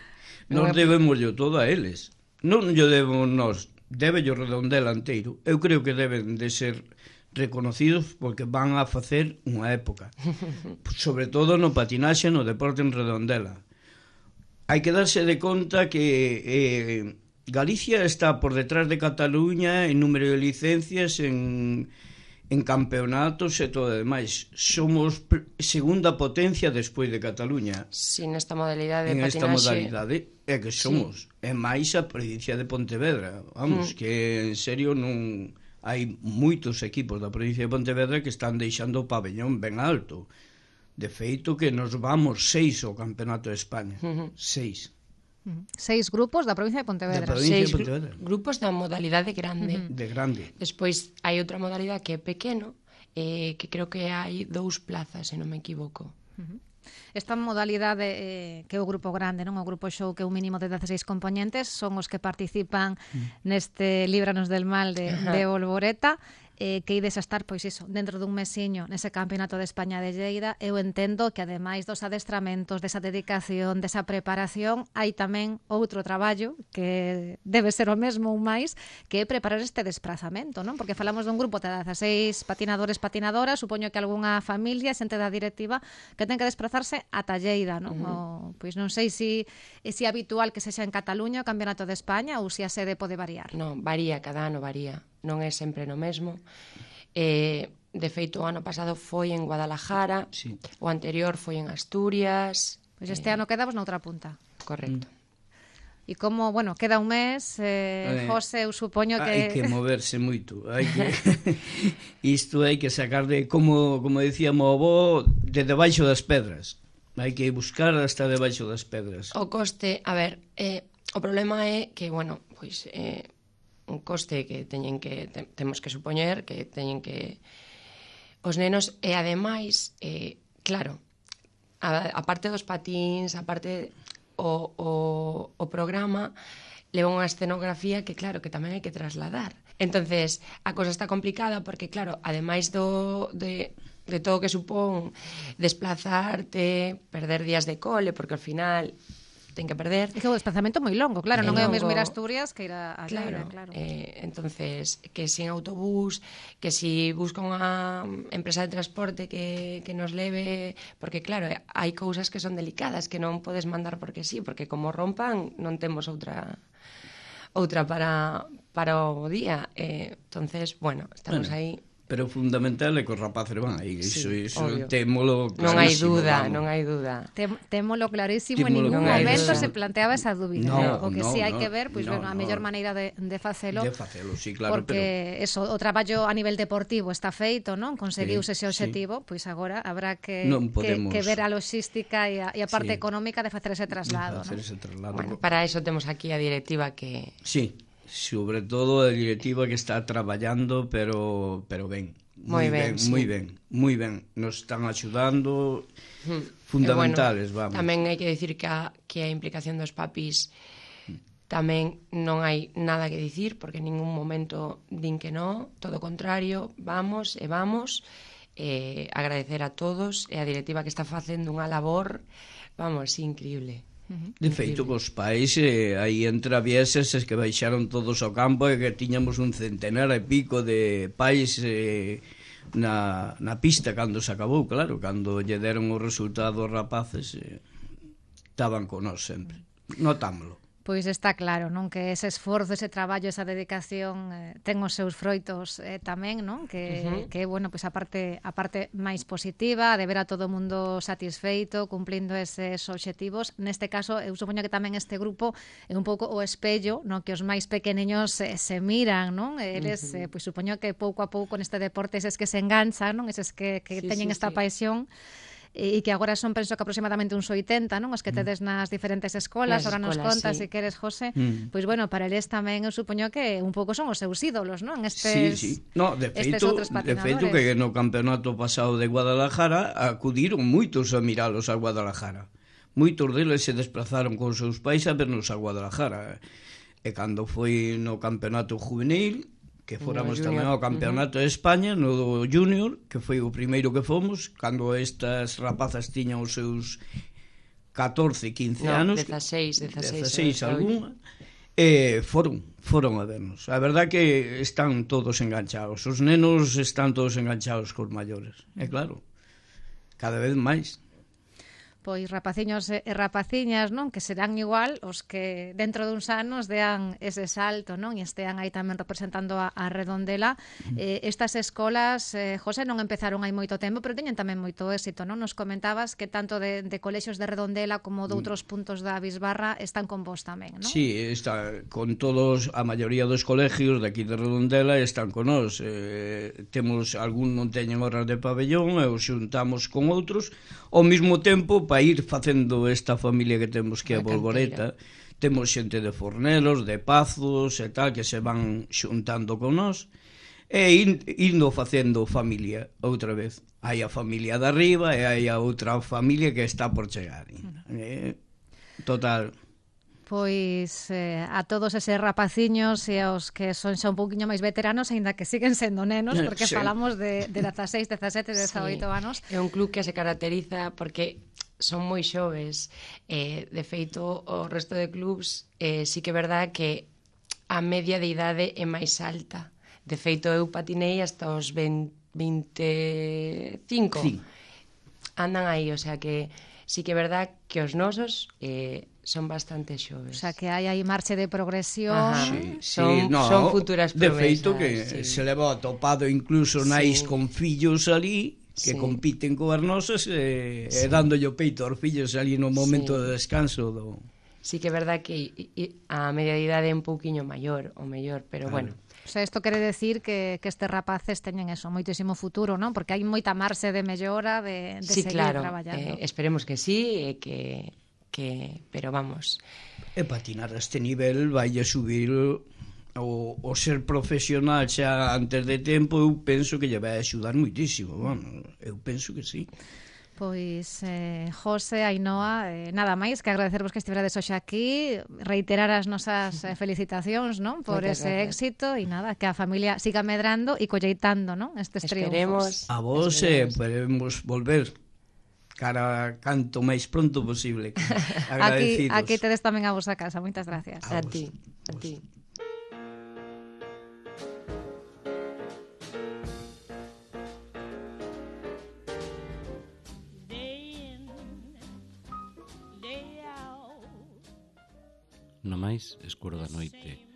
Nos debemos todo a eles. Non lle debemos nós, debe o Redondela inteiro. Eu creo que deben de ser reconocidos porque van a facer unha época. Sobre todo no patinaxe, no deporte en Redondela. Hai que darse de conta que Galicia está por detrás de Cataluña en número de licencias, en campeonatos e todo o demais. Somos segunda potencia despois de Cataluña. Sí, nesta modalidade de patinaxe. En esta modalidade é que somos. É máis a provincia de Pontevedra. Vamos, que en serio non... Hai moitos equipos da provincia de Pontevedra que están deixando o pabellón ben alto. De feito que nos vamos 6 ao Campeonato de España. 6. 6 grupos da provincia de Pontevedra. 6 grupos da modalidade grande. De grande. Despois hai outra modalidade que é pequeno, que creo que hai 2 plazas, se non me equivoco. Esta modalidade que é o grupo grande, non? O grupo show, que é un mínimo de 16 componentes, son os que participan neste Líbranos del Mal de Bolboreta, que ides a estar, pois iso, dentro dun mesiño nese Campeonato de España de Lleida. Eu entendo que ademais dos adestramentos, desa dedicación, desa preparación, hai tamén outro traballo que debe ser o mesmo ou máis, que é preparar este desplazamento, non? Porque falamos dun grupo de 16 patinadores, patinadoras, supoño que algunha familia, xente da directiva, que ten que desplazarse ata Lleida, non? Pois non sei se é habitual que sexa en Cataluña o Campeonato de España ou se a sede pode variar. Non, varía, cada ano varía. Non é sempre no mesmo. De feito, o ano pasado foi en Guadalajara, o anterior foi en Asturias. Pois este ano quedamos na outra punta. Correcto. E como, bueno, queda un mes, José, eu supoño que... Hai que moverse moito. Isto hai que sacar de, como decíamos o avó, de debaixo das pedras. Hai que buscar hasta debaixo das pedras. O coste, a ver, o problema é que, bueno, pois... un coste que temos que supoñer que teñen que os nenos, e ademais claro, a parte dos patins, a parte o programa leva unha escenografía que claro, que tamén hai que trasladar. Entonces, a cosa está complicada porque claro, ademais de todo o que supón desplazarte, perder días de cole, porque ao final ten que perder. É que o desplazamento moi longo, claro, non é o mesmo ir a Asturias que ir a Lleida, claro. Entonces, que sin autobús, que si busca unha empresa de transporte que nos leve, porque claro, hai cousas que son delicadas, que non podes mandar porque sí, porque como rompan non temos outra para o día. Entonces, bueno, estamos aí. Pero o fundamental é que os rapaces van aí, iso témolo clarísimo. Non hai dúda. Témolo clarísimo, en ningún momento se planteaba esa dúbida. O que sí hai que ver, pois a mellor maneira de facelo. De facelo, sí, claro. Porque o traballo a nivel deportivo está feito, non? Conseguiuse ese objetivo, pois agora habrá que ver a logística e a parte económica de facer ese traslado. Bueno, para eso temos aquí a directiva que... Sí. Sobre todo a directiva que está traballando, pero ben. Moi ben. Nos están axudando, fundamentales, vamos. Tamén hai que decir que a implicación dos papis tamén non hai nada que dicir, porque en ningún momento din que non, todo o contrario, vamos, agradecer a todos e a directiva que está facendo unha labor, vamos, increíble. De feito, cos pais aí en Travieses que baixaron todos ao campo e que tiñamos un centenar e pico de pais na pista cando se acabou, claro, cando lle deron o resultado aos rapaces estaban con nós sempre, notámoslo. Pois está claro, non, que ese esforzo, ese traballo, esa dedicación ten os seus froitos tamén, non? Que bueno, pois a parte máis positiva de ver a todo o mundo satisfeito, cumplindo eses obxectivos. Neste caso, eu supoño que tamén este grupo é un pouco o espello, non, que os máis pequeniños se miran, non? Eles, pois supoño que pouco a pouco neste deporte eses que se enganchan, non? Eses que teñen esta paixón, e que agora son, penso que aproximadamente uns 80, non? Os que tedes nas diferentes escolas, agora nos contas, se queres, José, pois bueno, para eles tamén eu supoño que un pouco son os seus ídolos, non? Estes outros patinadores. De feito que no campeonato pasado de Guadalajara acudiron moitos a miralos a Guadalajara. Moitos deles se desplazaron con seus pais a vernos a Guadalajara. E cando foi no campeonato juvenil, que fóramos tamén ao Campeonato de España, no Junior, que foi o primeiro que fomos, cando estas rapazas tiñan os seus 14, 15 anos. 16 algunha, foron a vernos. A verdad que están todos enganchados. Os nenos están todos enganchados cos maiores. E claro, cada vez máis. Pois rapaciños e rapaciñas, non, que serán igual os que dentro duns anos dean ese salto, non, e estean aí tamén representando a Redondela. Estas escolas, José, non empezaron hai moito tempo, pero teñen tamén moito éxito, non? Nos comentabas que tanto de colexios de Redondela como de outros puntos da Bisbarra están con vos tamén, non? Sí, está con todos, a maioría dos colegios de aquí de Redondela están con nós. Temos algún non teñen horas de pabellón e os xuntamos con outros ao mesmo tempo para ir facendo esta familia que temos que é a Bolboreta. Temos xente de Fornelos, de Pazos e tal, que se van xuntando con nós e indo facendo familia outra vez. Hai a familia de arriba e hai a outra familia que está por chegar. Total. Pois a todos eses rapaciños e aos que son xa un pouquiño máis veteranos, aínda que siguen sendo nenos, porque falamos de 16, 17, 18 anos. É un club que se caracteriza porque son moi xoves. De feito, o resto de clubs sí que é verdad que a media de idade é máis alta. De feito, eu patinei hasta os 25. Sí. Andan aí, o sea que sí que é verdad que os nosos son bastante xoves. O sea, que hai aí marche de progresión. Son futuras promesas. De feito que se leva atopado incluso nais con fillos ali que compiten co as nosas e dándolle o peito aos fillos ali no momento de descanso do... Sí que é verdad que a media de idade é un pouquiño maior, o mellor, pero bueno. O sea, isto quere decir que estes rapaces teñen eso, moitísimo futuro, non? Porque hai moita marxe de mellora de seguir traballando. Esperemos que sí, pero vamos. E patinar a este nivel vai a subir o ser profesional xa antes de tempo, eu penso que lle vai axudar moitísimo, eu penso que sí. Pois, José, Ainhoa, nada máis que agradecervos que estiverades hoxe aquí, reiterar as nosas felicitacións, non? Por ese éxito e nada, que a familia siga medrando e colleitando, non? Estes triunfos. A vos esperemos volver cara canto máis pronto posible. Agradecidos. Aquí tedes tamén a vosa casa. Moitas gracias. A ti. No máis escuro da noite,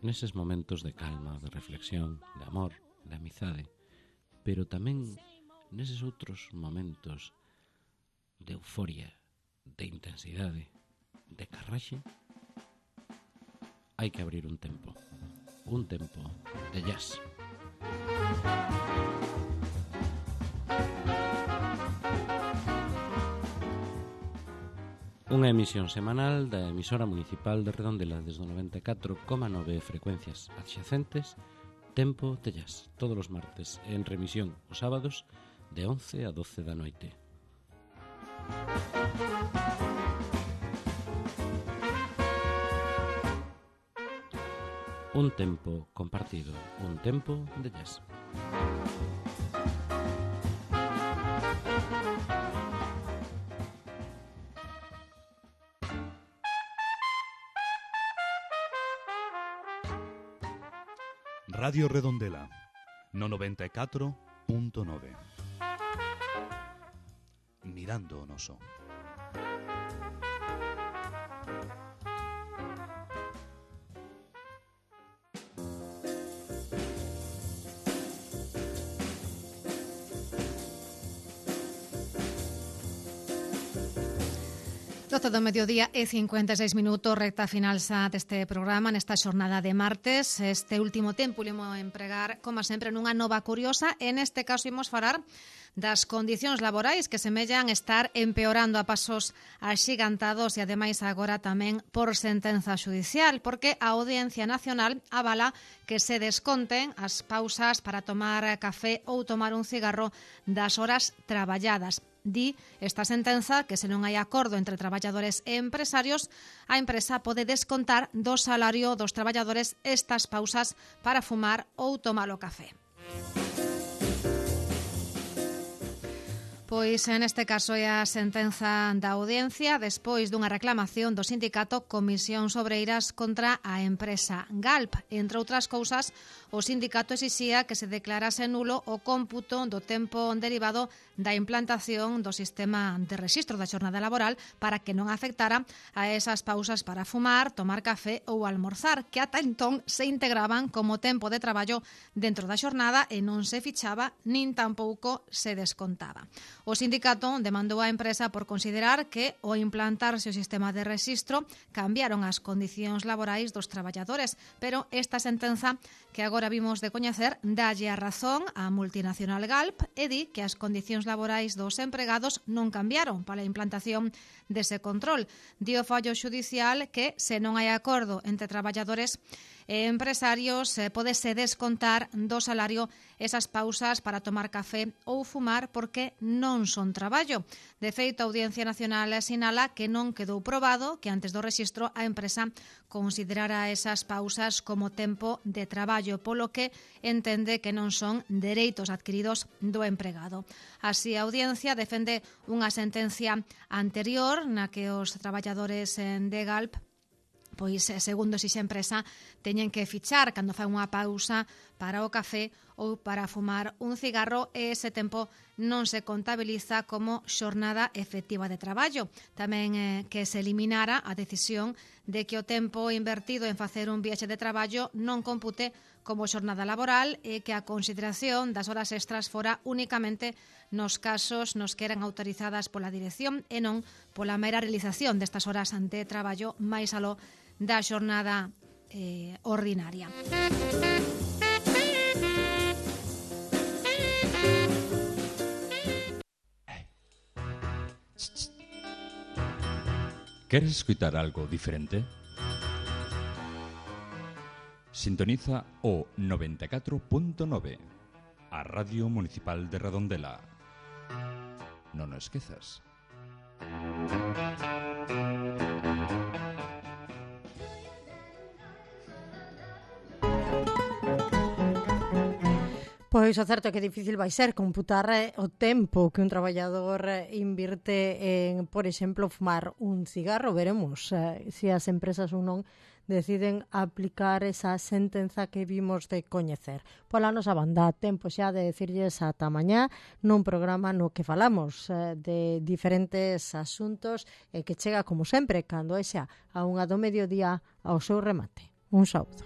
neses momentos de calma, de reflexión, de amor, de amizade, pero tamén neses outros momentos de euforia, de intensidade, de carraxe, hai que abrir un tempo de jazz. Unha emisión semanal da emisora municipal de Redondela desde o 94,9 frecuencias adxacentes, Tempo de Jazz, todos os martes, en remisión os sábados de 11 a 12 da noite. Un tempo compartido, un tempo de jazz. Radio Redondela, no 94.9. Mirando o noso. Do mediodía e 56 minutos, recta final xa deste programa nesta xornada de martes. Este último tempo imos empregar, como sempre, nunha nova curiosa. En este caso imos falar das condicións laborais que semellan estar empeorando a pasos axigantados e ademais agora tamén por sentenza xudicial, porque a Audiencia Nacional avala que se desconten as pausas para tomar café ou tomar un cigarro das horas traballadas. Di esta sentenza que se non hai acordo entre traballadores e empresarios, a empresa pode descontar do salario dos traballadores estas pausas para fumar ou tomar o café. Pois neste caso é a sentenza da Audiencia despois dunha reclamación do sindicato Comisións Obreiras contra a empresa Galp. Entre outras cousas, o sindicato exixía que se declarase nulo o cómputo do tempo derivado da implantación do sistema de rexistro da xornada laboral para que non afectara a esas pausas para fumar, tomar café ou almorzar, que ata entón se integraban como tempo de traballo dentro da xornada e non se fichaba nin tampouco se descontaba. O sindicato demandou á empresa por considerar que, ao implantarse o sistema de rexistro, cambiaron as condicións laborais dos traballadores, pero esta sentenza que agora vimos de coñecer dalle a razón á multinacional Galp e di que as condicións laborais dos empregados non cambiaron para a implantación dese control. Di o fallo xudicial que, se non hai acordo entre traballadores empresarios pódese descontar do salario esas pausas para tomar café ou fumar porque non son traballo. De feito, a Audiencia Nacional sinala que non quedou probado que antes do rexistro a empresa considerara esas pausas como tempo de traballo, polo que entende que non son dereitos adquiridos do empregado. Así, a Audiencia defende unha sentencia anterior na que os traballadores de Galp, pois, segundo esa empresa, teñen que fichar cando fai unha pausa para o café ou para fumar un cigarro e ese tempo non se contabiliza como xornada efectiva de traballo. Tamén que se eliminara a decisión de que o tempo invertido en facer un viaxe de traballo non compute como xornada laboral e que a consideración das horas extras fora únicamente nos casos nos que eran autorizadas pola dirección e non pola mera realización destas horas de traballo máis aló da xornada ordinaria. ¿Queres escutar algo diferente? Sintoniza o 94.9, a Radio Municipal de Redondela. Non o esquezas. Pois o certo é que difícil vai ser computar o tempo que un traballador invirte en, por exemplo, fumar un cigarro. Veremos se as empresas ou non deciden aplicar esa sentenza que vimos de coñecer. Pola nosa banda, tempo xa de decirlles ata mañá nun programa no que falamos de diferentes asuntos e que chega, como sempre, cando é xa a 1 do mediodía ao seu remate. Un saúdo.